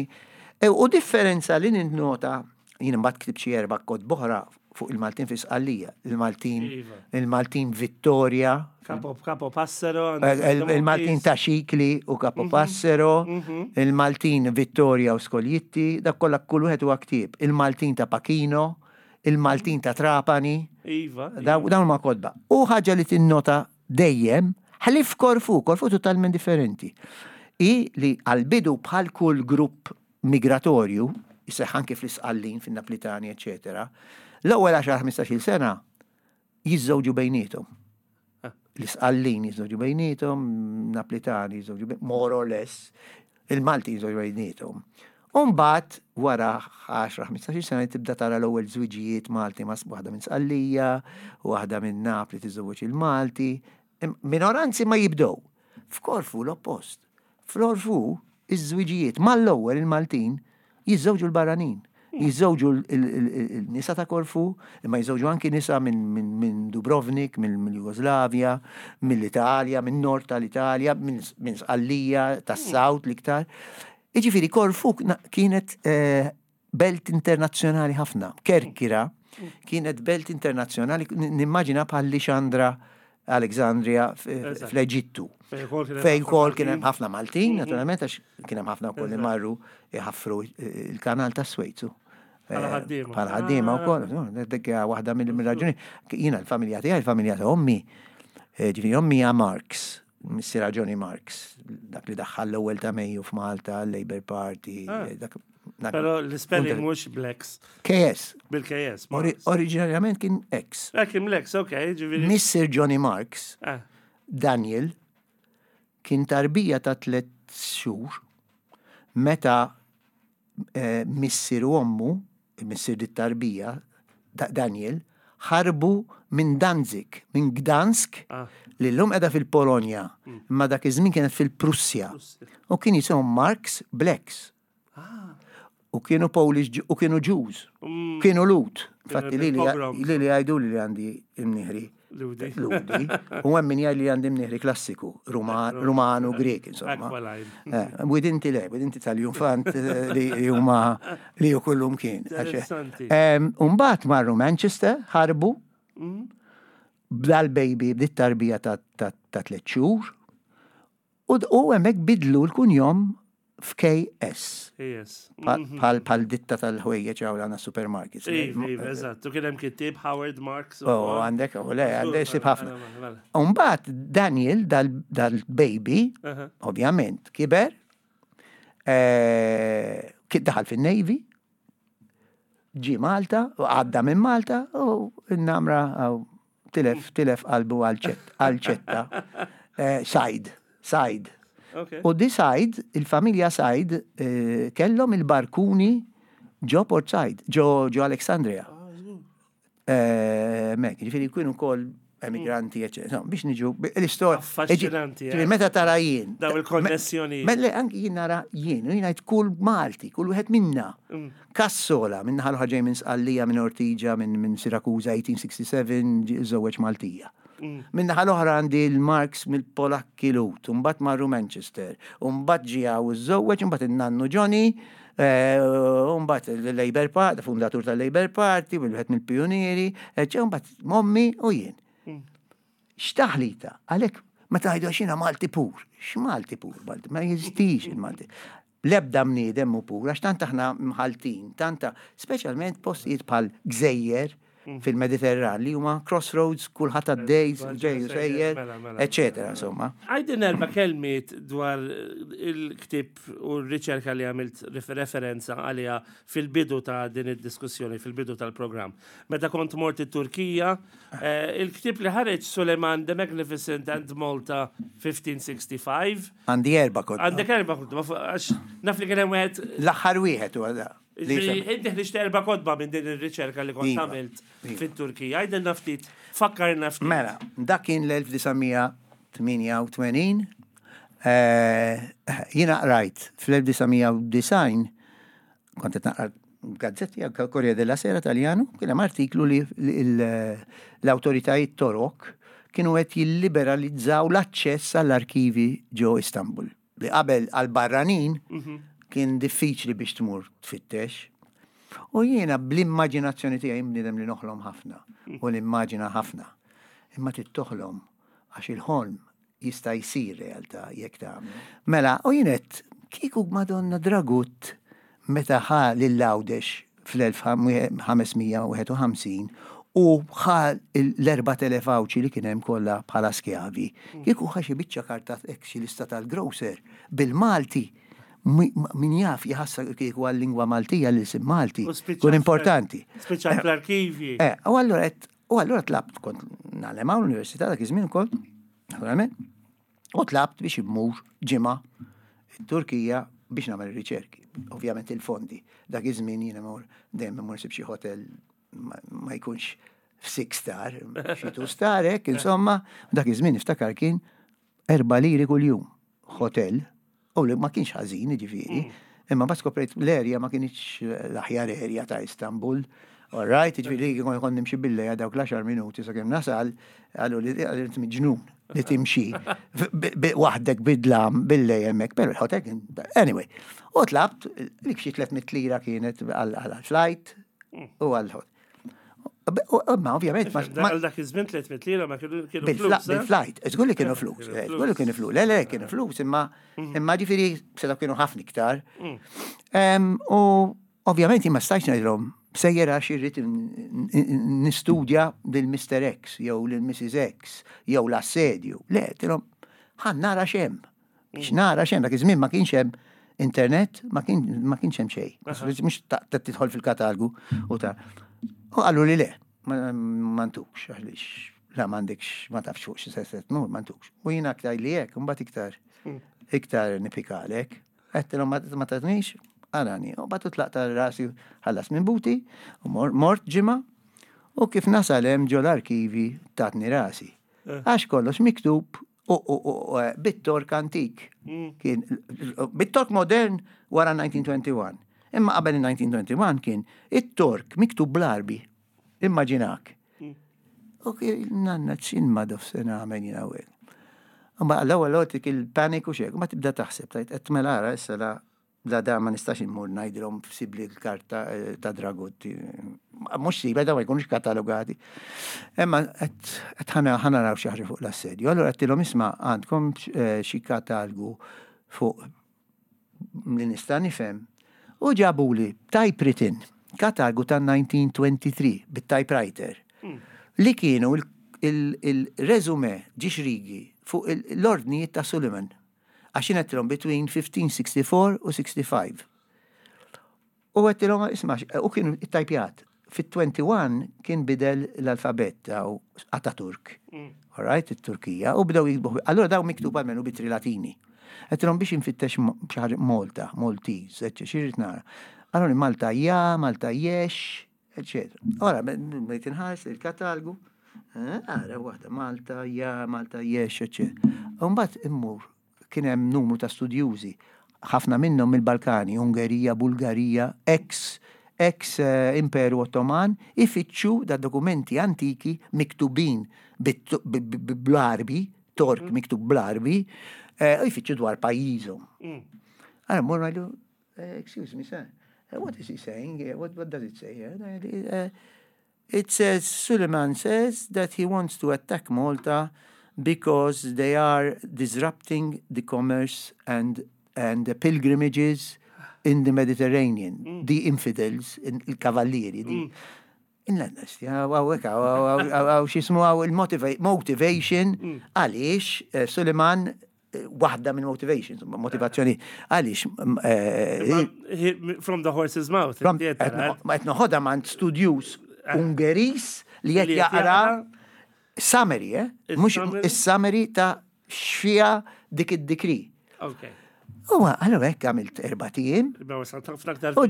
e, u differenza li ninnota, jien imbagħad ktibt xi erba' kotba oħra fuq il-Maltin fi Sqallija, il-Maltin, Iva. il-Maltin Vittoria, Capo, Capo Passero. eh, il- il-Maltin ta' Xikli u Capo Passero, il-Maltin Vittoria u Scoglitti, dak kollha kull wieħed huwa ktieb. Il-Maltin ta' Pachino, il-Maltin ta' Trapani, Iva. daw- dawn ma kotba. U ħaġa li tinnota dejjem, ħlief Korfu, Korfu totalment differenti. I li għal-bidu bħal kull grupp migratorju, jseħ anke fl-Isqallin, fin-Naplitani, eccetera, l-ewwel għaxar ħmistax-il sena jiżżewġu bejniethom. L-Isqallin jiżżewġu bejniethom, Naplitani jiżżewġu bejniethom, more or less, il-Malti jiżżewġu bejniethom. Umbagħad, wara għaxar ħmistax-il sena tibda tara l-ewwel żwiġijiet Malti ma' waħda minn Sqallija, waħda minn Napli tiżżewweġ il-Malti. Im- Minoranzi ma jibdew. F'Korfu l-oppost. F'Korfu iż-żwiġijiet mal-ewwel il-Maltin jiżżewġu l-barranin. Jiżżewġu il-nisa ta' Korfu, imma jiżżewġu anki nisa minn Dubrovnik, minn Jugoslavja, mill-Italja, minn nord tal-Italja, minn Sqallija, tas-South l-iktar. Iġifieri Korfu kienet eh, belt internazzjonali ħafna. Kerkira kienet belt internazzjonali, nimmaġina bħal Lixandra, Alexandria fl-Eġittu. Fejn ukoll kien hemm ħafna Maltin, mhm. naturalment, għax kien hemm ħafna wkoll li marru jħaffru il-kanal ta' Swejzu. Bħala ħaddiema wkoll, dik waħda mill-raġuni. Jiena l-familja tiegħi, il-familja ta' ommi, eh, ġifieri ommi hija Marx, missiera Johnny Marx, dak li daħħal l-ewwel ta' Mejju f'Malta, Labour Party, ah. dak. Pero l-spelling mhux Blacks. K S. Bil-K S. Oriġinarjament kien X. Eh, kien Blacks, ok. Ġifieri. Missier Johnny Marx, ah. Daniel, kien tarbija ta' tliet xhur meta eh, missier u ommu, missier dit-tarbija, Daniel, ħarbu minn Danzig, minn Gdansk, ah. li l-lum edha fil-Polonja, mm. imma dak iż-żmien kienet fil-Prussja. U kien jisimhom Marx Blacks. Ah. U kienu Polish u kienu Jews. Mm. Kienu Lhud. Infatti li li li għajdu li għandi imniħri. Lhudi. Lhudi. U hemm min jgħid li għandi mniħri klassiku, Rumanu, Grek, insomma. Eh, Widinti le, widinti tal-Jumfant eh, li huma li ju kullum kien. Umbagħad marru Manchester, ħarbu, mm. bdal-baby, bdiet tarbija ta' tliet xhur, u hemmhekk bidlu l-kunjom f'K S. Yes. Bħal bħal ditta tal-ħwejjeġ hawn għandna supermarkets. Iva, iva, eżatt. U kien hemm kittieb Howard Marks. Oh, għandek, u le, għandek sib ħafna. Mela, mela. Umbagħad Daniel, dal-baby, ovvjament, kiber, eh, daħal fin-Navy, ġi Malta, u għadda minn Malta, u n-namra tilef, tilef qalbu għal-ċetta. Eh, Said, Said. U di Said, il-familja Said, eh, kellhom il-barkuni ġo Port Said, ġo, ġo Alexandria. Ah, Mek, ġifieri kienu kol emigranti, eccetera. Biex niġu, l-istorja. Affaxxinanti. Eh. Meta tara jien. Daw il-konnessjoni. Melle, anki jien nara jien, u jien għajt kull Malti, kull wieħed minna. Mm. Kassola, minn ħal ġej minn Sqallija, minn Ortigia, minn Sirakuza, eighteen sixty-seven, żewweġ Maltija. Mm. Minn naħa l-oħra għandi l-Marx mill-Polakki Lhud, mbagħad marru Manchester, mbagħad ġie u żżewweġ, mbagħad in-nannu Johnny, eh, mbagħad il-Labour Party, fundatur tal-Labour Party, wieħed mill-pionieri, mbagħad mommi u jien. Mm. X'taħlita, għalhekk meta għajdu għax jiena Malti pur, x'Malti pur, Malti, ma jeżistix il-Malti. Lebda bniedem mu pur, għax tant aħna mħaltin, tanta, speċjalment postijiet bħal gżejjer, mm. fil-Mediterran li huma crossroads, kulħadd għaddej, ġej sejjer, mela, mela, eccetera, insomma. Għajdin erba' kelmiet dwar il-ktib u r-riċerka li għamilt referenza għalija fil-bidu ta' din id-diskussjoni, fil-bidu tal-programm. Meta kont mort it-Turkija, eh, il-ktib li ħareġ Suleiman the Magnificent and Malta fifteen sixty-five. Għandi erba' kotba. Għandek erba' kotba, għax naf li kien hemm wieħed. L-aħħar wieħed huwa da. Inti ħriġt erba' kotba minn din ir-riċerka li kont iva, għamilt iva. fit-Turkija. Għajdilna ftit, fakkarna ftit. Mela, dak kien l-elf disa' mija tmienja u tmenin. Eh, jiena qrajt fl-elf disa' mija u disgħin, kont qed naqra gazzetti, Corriere della Sera Taljanu, kien hemm artiklu li l-awtoritajiet Torok kienu qed jilliberalizzaw l-aċċess għall-arkivi ġo Istanbul. Li qabel għal-barranin mhm. kien diffiċli biex tmur tfittex. U jiena bl-immaġinazzjoni tiegħi, bniedem li noħlom ħafna u l-immaġina ħafna. Imma tittoħlom għax il-ħolm jista' jsir realtà jekk tagħmel. Mela, u jien għedt kieku Madonna Dragut meta ħa lil Għawdex fl-elf ħames mija wieħed u ħamsin u ħa l-erbat elef Għawdxi li kien hemm kollha bħala skjavi. Kieku ħa xi biċċa karta hekk, xi lista tal-grocer bil-Malti, min jaf jħassa kieku għal-lingwa Maltija, l-isim Malti. Kun importanti. Spiċċa fl-arkivji. Eh, u allura u allura tlabt, kont nagħlem hawn l-università dak iż-żmien ukoll, naturalment, u tlabt biex immur ġimgħa Turkija biex nagħmel riċerki. Ovvjament il-fondi. Dak iż-żmien jiena mur dejjem immur sib xi hotel ma jkunx f'six star, xi two star hekk, insomma, dak iż-żmien niftakar kien erba' liri kuljum hotel, u li ma kienx ħażin, ġifieri. Mm. Imma ma skoprejt l-area ma kienx l-aħjar area ta' Istanbul. All right, ġifieri kont kont nimxi bil-lejl dawk l-għaxar minuti sakemm nasal, qallu li għalli miġnun li timxi waħdek bid-dlam bil-lejl hemmhekk, pero il-hotel kien, anyway. U tlabt, lik xi tliet mitt lira kienet għal-flight u għal-hotel. Ma ovvjament. Għal dak iż-żmien tliet mitt lira ma kienu flus. Eh? Bil-flight, żgur li kienu flus, eh, żgur li kienu flus, le le kienu flus, imma mhm. imma ġifieri setgħu kienu ħafna iktar. Mm. U ovvjament ma stajtx ngħidilhom sejjer għax irrid nistudja lil Mister X jew lil Missus X jew l-assedju. Le, għedtilhom ħa nara x'hemm. Biex mm. nara x'hemm, dak iż-żmien ma kienx hemm internet, ma kienx hemm xejn. Mhux tidħol fil-katalgu u ta' U qallu li le, ma ntukx, għaliex la m'għandekx, ma tafx fuq xi se tmur, ma ntukx. U jiena aktar li hekk, mbagħad iktar mm. iktar nipikalek. Għedtilhom ma tatnix, għarani. U batu tlaqt rasi ħallas minn buti, u mort ġimgħa, u kif nasal hemm ġol arkivi tatni rasi. Eh. Għax kollox miktub u bit-Tork antik. Mm. Kien bit-Tork modern wara elf disa' mija u wieħed u għoxrin. Imma qabel elf disa' mija u wieħed u għoxrin kien it-Tork miktub bl-Arbi. Immaġinak. Mm. U nanna ċin ma dof se nagħmel jiena. Ma l-ewwel għotik il-paniku xek, ma tibda taħseb, tajt qed mela ara issa la la da ma nistax immur ngħidilhom sibli l-karta eh, ta' Dragotti. Mhux siba da ma jkunux katalogati. Imma qed ħa naraw xi ħaġa fuq l-assedju. Allura għedtilhom, isma', għandkom eh, xi katalgu fuq li nista' nifhem? U ġabuli typewritten katalgu ta' elf disa' mija u tlieta u għoxrin bit-typewriter mm. li kienu il-resume ġiex rigi fuq l-ordnijiet ta' Suleiman. Għax għedtilhom between fifteen sixty-four u sixty-five. U għedtilhom, isma', u kienu tajpjat. Fit-wieħed u għoxrin kien bidel l-alfabet ta' Ataturk. Mm. All right, it-Turkija, u bdew jiktbu. Allora daw miktub għalmenu b'ittri Latini. Għedtilhom biex infittex xi Malta, Maltese, eċċe, xi nara. Allora Malta ja, Malta jex, eccetera. Ora, bdejt inħares il-katalgu, eh, ara waħda Malta ja, Malta jex, eccetera. Mbagħad immur kien hemm numru ta' studjużi, ħafna minnhom mill-Balkani, Ungerija, Bulgarija, ex ex eh, Imperu Ottoman, ifittxu da dokumenti antiki miktubin bl-Arbi, Tork mm. miktub bl-Arbi, eh, u jfittxu dwar pajjiżhom. Mm. Għara mur ngħidu, eh, "Excuse me, sir, what is he saying? What, what does it say here?" "It says, Suleiman says that he wants to attack Malta because they are disrupting the commerce and, and the pilgrimages in the Mediterranean, mm. the infidels, il-kavallieri." Mm. Inlannas, għawek, għaw xismu għaw il-motivation mm. għaliex eh, Suleiman eh, waħda minn motivations, motivazzjoni, għaliex. Eh, from the horse's mouth. Ma qed noħodha minn studjuż Ungeris li qed jaqra summary, eh? Mhux is-summary ta' x'fiha dik id-decree. Okay. U għallu hekk għamilt erbat ijiem. U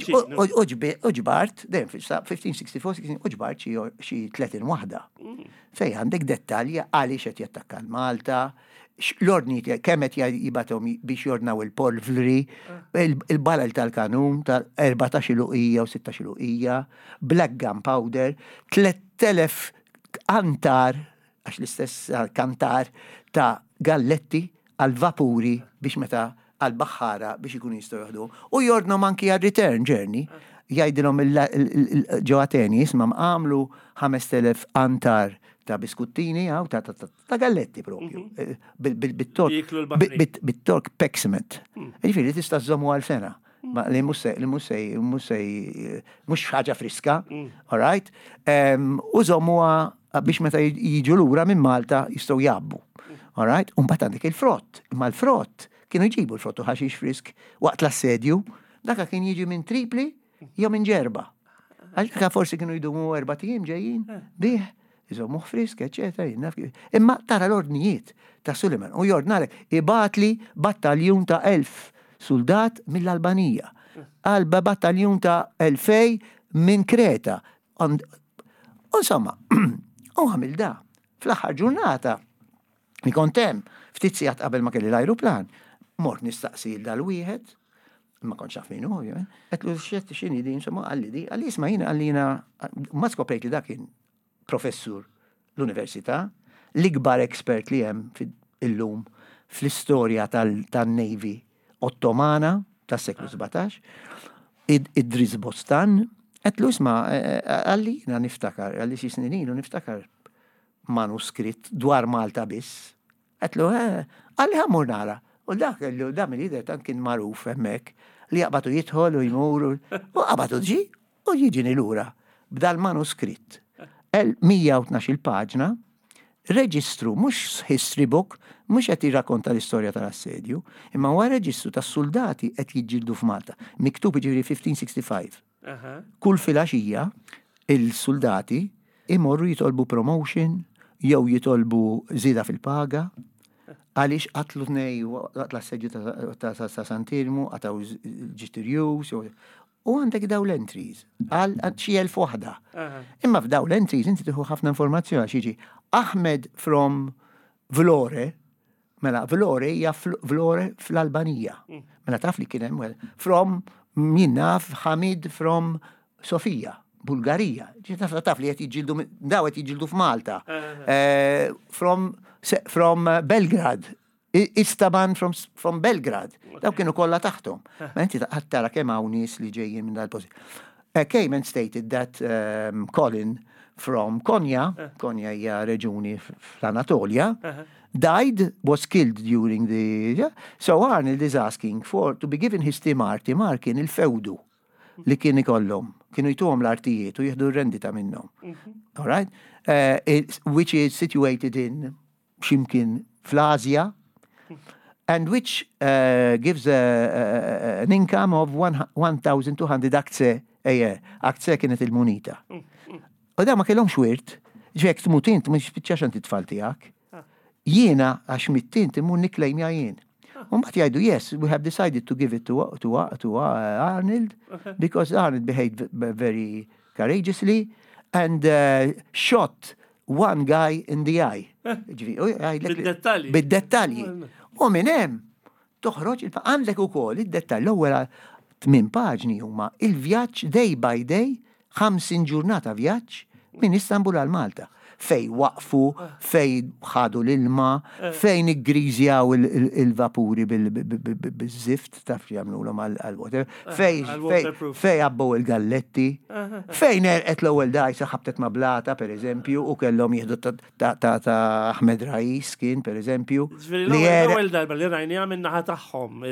ġbart, dejjem fil-fifteen sixty-four, u ġbart xi tletin waħda. Mm. Fej għandek dettalji għaliex qed jattakka l-Malta, l-ordni kemm qed jibgħathom biex jordnaw il-polvri, ah. il-balal tal-kanun tal-erbatax luqija u sittax luqija, black gunpowder, tlett elef kantar, għax l-istess kantar ta' galletti għal-vapuri biex meta għal-baħħara biex ikunu jistgħu jieħdu. U jordnom anki għal return journey. Jgħidilhom ġo Ateni, isma', għamlu ħamest elef antar ta' biskuttini għaw ta' ta' galletti propju. Mhm. Eh, bit-Tork pekmet. Mm. Ġifieri tista' żommu għal sena. Ma li mhux li mhux mhux mhux ħaġa friska, mm. all right? U żommuha biex meta jiġu lura minn Malta jistgħu jabbu. All right? U mbagħad għandek il-frott. Imma l-frott kienu jġibu l-frott u ħaxix frisk waqt l-assedju, daka kien jiġi minn Tripli jew minn Ġerba. Għax daka forsi kienu jdumu erbat ijiem ġejjin bih, iżommuh frisk, eccetera. Imma tara l-ordnijiet ta' Suleiman u jordnalek ibgħatli battaljun ta' elf soldat mill-Albanija. Għalba battaljun ta' elfej minn Kreta. Insomma, u għamil da. Fl-aħħar ġurnata, mi kont hemm, ftit sigħat qabel ma kelli l-ajruplan, mort nistaqsi dal-wieħed, Ma kontx naf min hu, ovvjament. Għedtlu xet x'inhi di, insomma, qalli di, qalli isma' jiena qalli jiena, ma skoprejt li dak kien professur l-università, l-ikbar expert li hemm illum fl-istorja tal-Navy Ottomana tas-seklu sbatax, Idris Bostan. Għedtlu isma', qalli jiena niftakar, qalli xi snin ilu niftakar manuskritt dwar Malta biss. Għedtlu, qalli ħa mmur nara. U dak da mill-lider tant kien magħruf hemmhekk li jaqbatu jidħol u jmur u qabatu ġi u jiġini lura b'dal manuskritt. mija u tnax-il paġna, reġistru, mhux history book, mhux qed jirrakkonta l-istorja tal-assedju, imma huwa reġistru tas-soldati qed jiġġieldu f'Malta. Miktub ġifieri fifteen sixty-five. Kull filgħaxija il-soldati imorru jitolbu promotion jew jitolbu żieda fil-paga għaliex qatlu tnej waqt l-assedju ta' Sant'Iermu, qatgħu ġitirjus, u għandek daw l-entries, għal xi elf waħda. Imma f'daw l-entries inti tieħu ħafna informazzjoni għax jiġi Ahmed from Vlore, mela Vlore hija Vlore fl-Albanija. Mela taf li kien hemm from min naf Hamid from Sofia, Bulgarija. Taf taf li qed jiġġieldu daw qed jiġġieldu f'Malta. From from Belgrad. Istaban from, from Belgrad. Daw kienu kollha taħtom. Ma inti tara kemm hawn nies li ġejjin minn dal-post. Came and stated that um, Colin from Konya, Konya hija reġuni fl-Anatolia, died, was killed during the... Yeah? So Arnold is asking for to be given his timar. Timar kien il-fewdu li kien ikollhom. Kienu jtuhom l-artijiet u jieħdu r-rendita minnhom. All right? Uh, it, which is situated in ximkien fl-Asja, and which uh, gives a, a, an income of one thousand two hundred akce a year. Akce kienet il-munita. U da ma kellhomx wirt, ġek tmut int, mhux spiċċax għand it-tfal tiegħek. Jiena għax mitt int immur nikklejmja jien. U mbagħad jgħidu, "Yes, we have decided to give it to, to, to uh, Arnold because Arnold behaved very courageously and uh, shot one guy in the eye." Bid-dettalji. Bid-dettalji. U minn hemm toħroġ għandek ukoll id-dettalji. L-ewwel tmien paġni huma il-vjaġġ day by day, ħamsin ġurnata vjaġġ minn Istanbul għal Malta. Fej waqfu, fej ħadu l-ilma, fejn iggriżjaw il-vapuri bil-zift, taf jagħmluhom għal-water, fej fej għabbow il-galletti, fejn għerqet l-ewwel dgħajsa, ħabtet ma' blata, per eżempju, u kellhom jieħdu ta' Ahmed Rais kien, per eżempju. L-ewwel darba li rajni minn naħa tagħhom.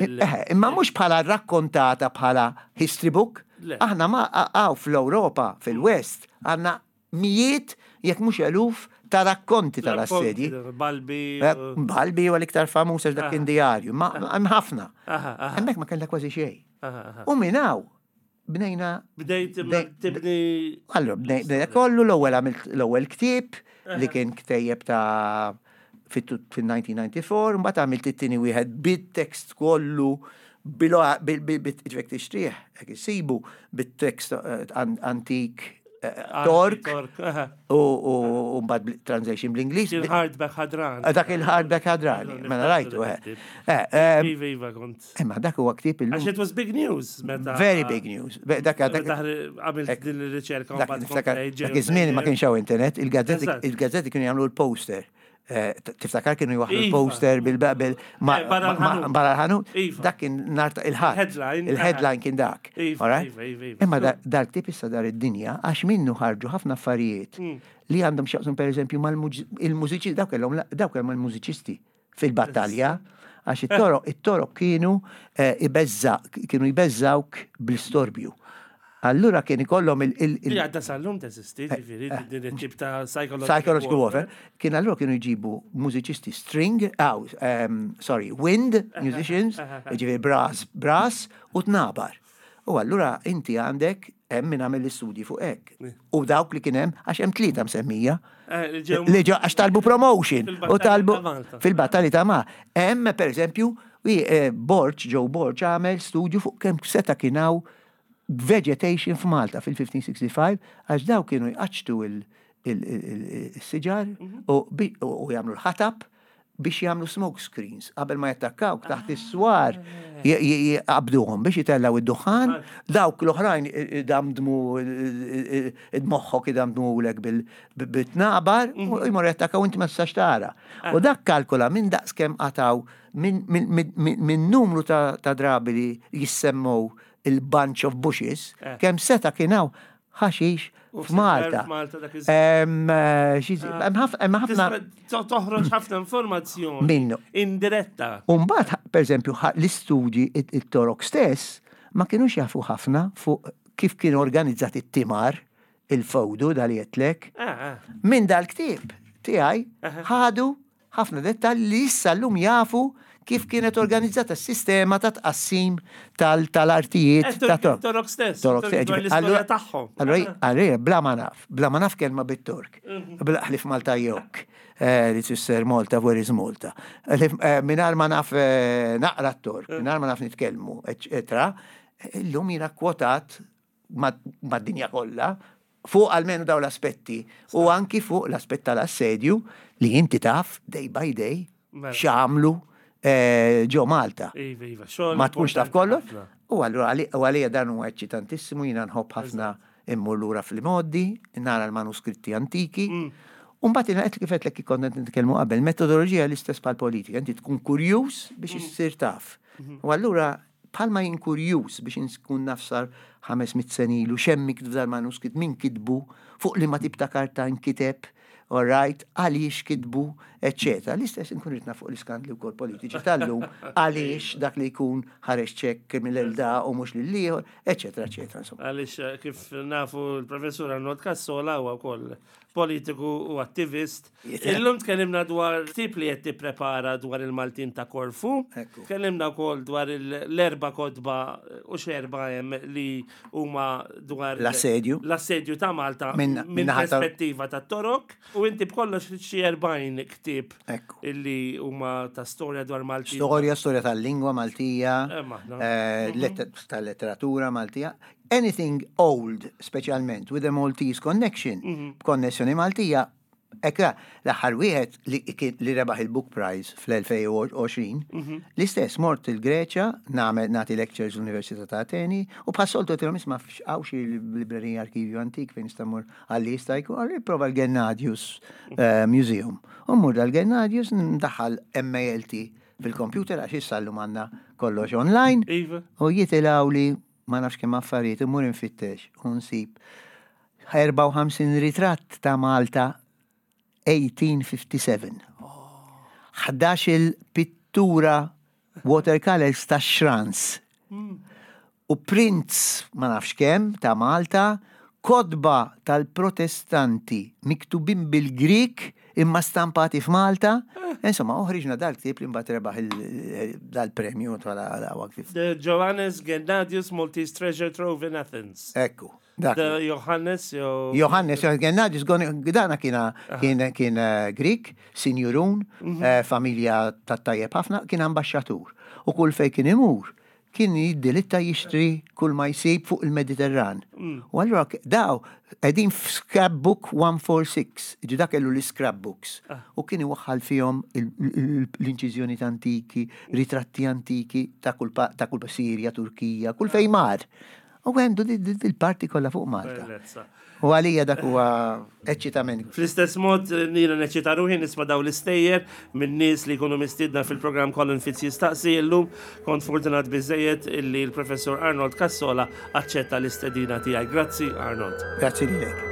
Imma mhux bħala rakkontata bħala history book, aħna ma għaw fl-Europa, fil-West, għandna mijiet, jekk mhux eluf, ta' rakkonti tal-assedji. Balbi. Balbi huwa l-iktar famuż għax dak kien diarju, ma hemm ħafna. Hemmhekk ma kellha kważi xejn. U minn hawn bnejna. Bdejt tibni. Allora, bnejna kollu. L-ewwel għamilt l-ewwel ktieb li kien ktejjeb ta' fil-elf disa' mija u disgħa u disgħin, mbagħad għamilt it-tieni wieħed bit-tekst kollu bil ġvek tixtrih, hekk issibu bit-tekst antik Tork u mbagħad translation bl-Ingliż. Il-hardback ħadrani. Dak il-hardback ħadrani, mela rajtu. Iva, iva, kont. Imma dak huwa ktieb illum. Għax it was big news meta. Very big news. Dak għamilt din ir-riċerka. Dak iż-żmien ma kienx hawn internet, il-gazzetti kienu jagħmlu l-poster. Tiftakar kienu jwaħħlu l-poster bil-bil barra l-ħanut? Dak kien nhar il-Ħadd. Il-headline kien dak. Imma dal-ktieb issa dar id-dinja għax minnu ħarġu ħafna affarijiet li għandhom x'jaqsmu, per eżempju, mal-mużiċisti, dawk kellhom dawk kellhom il-mużiċisti fil-battalja għax it-Torok it-Torok kienu ibeżza kienu jbeżżawk bl-istorbju. Allura kien ikollhom il- il Għadda sal-lum teżisti, ġifieri, din it-tip ta' psychological psychological warfare. Kien allura kienu jġibu mużiċisti string, oh, um, sorry, wind musicians, ġifieri brass, brass u tnabar. U allura inti għandek hemm min għamel l-istudji fuq hekk. U dawk li kien hemm, għax hemm tlieta msemmija. Li ġew għax talbu promotion. U talbu fil-battalji ta' ma. Hemm per eżempju, Borg, Joe Borg għamel studju fuq kemm seta' kien hawn vegetation f'Malta fil-fifteen sixty-five għax daw kienu jqaċċtu il-siġar u jagħmlu l-ħatab Biex jagħmlu smoke screens qabel ma jattakkaw taħt is-swar jqabduhom biex jitellaw id-duħan, dawk l-oħrajn damdmu id-moħħok, idamdmulek bil-tnabar u jmur jattakkaw, inti ma tistax tara. U dak kalkula minn daqs kemm qataw minn numru ta' drabi li jissemmow il-bunch of bushes, kemm seta kien hawn ħaxix f'Malta. Hemm ħafna. Toħroġ ħafna informazzjoni. Minnu. Indiretta. Umbagħad, per eżempju, l-istudji it-Torok stess ma kienux jafu ħafna fuq kif kien organizzat it-timar, il-fowdu dal jetlek. Ah, ah. Minn dal-ktieb tiegħi ħadu ħafna dettalji li issa llum jafu kif kienet organizzata s-sistema ta' tqassim tal-artijiet. Eh, Ta' Torok. Torok stess. Torok stess. Dwar l-istorja tagħhom. Allora, allora, bla ma naf, bla ma naf kelma bit-Tork, bla ħlif Malta yok, eh, li tfisser Malta, where is Malta. Mingħajr ma naf eh, naqra t-Tork, mingħajr ma naf nitkellmu, eccetera, illum jiena kwotat mad-dinja kollha fuq almenu daw l-aspetti u anki fuq l-aspett tal-assedju li inti taf day by day Mela. x'għamlu eh, ġo Malta. Iva, iva, xogħol Ma tkunx taf importanti kollox. ħafna. U allura għali- u għalija dan huwa eċċitantissimu, jiena nħobb ħafna immur lura fil-modi, nara l-manuskritti antiki. U mbagħad jiena qed kif qedlek konna nitkellmu qabel, metodoloġija l-istess bħal politika, inti tkun kurjuż biex issir taf. U allura bħalma jien kurjuż biex nkun naf sar ħames mitt sena ilu x'hemm miktub dal-manuskritt, min kitbu, fuq li ma tip ta' karta nkiteb, all right, għaliex kitbu, eccetera. L-istess nkun ritna fuq l-iskandli wkoll politiċi tal-lum, għaliex dak li jkun ħareġ ċekk mill-da u mhux lill-ieħor, eccetera, eccetera. Insomma. Għaliex eh, kif nafu l-professur Arnold Cassola huwa wkoll politiku u attivist. Jita. Illum tkellimna dwar tip li qed tipprepara dwar il-Maltin ta' Korfu. Ekku. Tkellimna wkoll dwar il- l-erba kotba u xerba hemm li huma dwar L-assedju. l-assedju ta' Malta Minn- minn min-naħa ta' perspettiva ta' Torok. U inti b'kollox xi erbgħin ktieb Ekku. illi huma ta' storja dwar Maltin. Storja, storja tal-lingwa Maltija, Eh, maħna. eh, letter- tal-letteratura Maltija, anything old, speċjalment with a Maltese connection, b'konnessjoni Maltija. Ekra, l-aħħar wieħed li, kien- li rebaħ il-Book Prize fl-elfejn u għoxrin, l-istess mort il-Greċja, nagħmel nagħti lectures l-Università ta' Ateni, u bħas-soltu għedtilhom, isma', hawn xi librerija, arkivju antik fejn nista' mmur għalli jista' jkun, għalli prova l-Gennadius eh, Museum. U mmur dal-Gennadius, ndaħħal M A L T fil-computer għax issa llum għandna kollox online. Iva. U jitilgħu li ma nafx kemm affarijiet, immur infittex u nsib erbgħa u ħamsin ritratt ta' Malta eighteen fifty-seven. ħdax il-pittura watercolors ta' Schranz. U prints ma nafx kemm ta' Malta, kotba tal-protestanti miktubin bil-Grik imma stampati f'Malta. Insomma, uħriġna dal-ktieb li mbagħad rebaħ il- dal-premju tal-waqf. The Johannes Gennadius Maltese Treasure Trove in Athens. Ekku, dak. The Johannes jew Johannes Gennadius, dana kiena kien kien eh, Grik, sinjurun, eh, familja ta' tajjeb ħafna, kien ambasċatur. U kull fej kien imur, kien jiddilitta jixtri kull ma jsib fuq il-Mediterran. U allura k- daw, qegħdin f'scrapbook mija u erbgħa u erbgħin, ġi dak kellu l-scrapbooks. U kien iwaħħal fihom il- il- l-inċiżjoni antiki, ritratti antiki ta' kull pa- ta' kull Sirja, Turkija, kull fejn mar. U għandu di- di- il-parti kollha fuq Malta. Bellezza. U għalija dak huwa eċċitament. Fl-istess mod, jiena neċċita ruħi nisma' daw l-istejjer minn nies li jkunu mistiedna fil-programm Colin Fitz jistaqsi. Illum kont fortunat biżejjed illi l-professor Arnold Cassola aċċetta l-istedina tiegħi. Grazzi, Arnold. Grazzi lilek.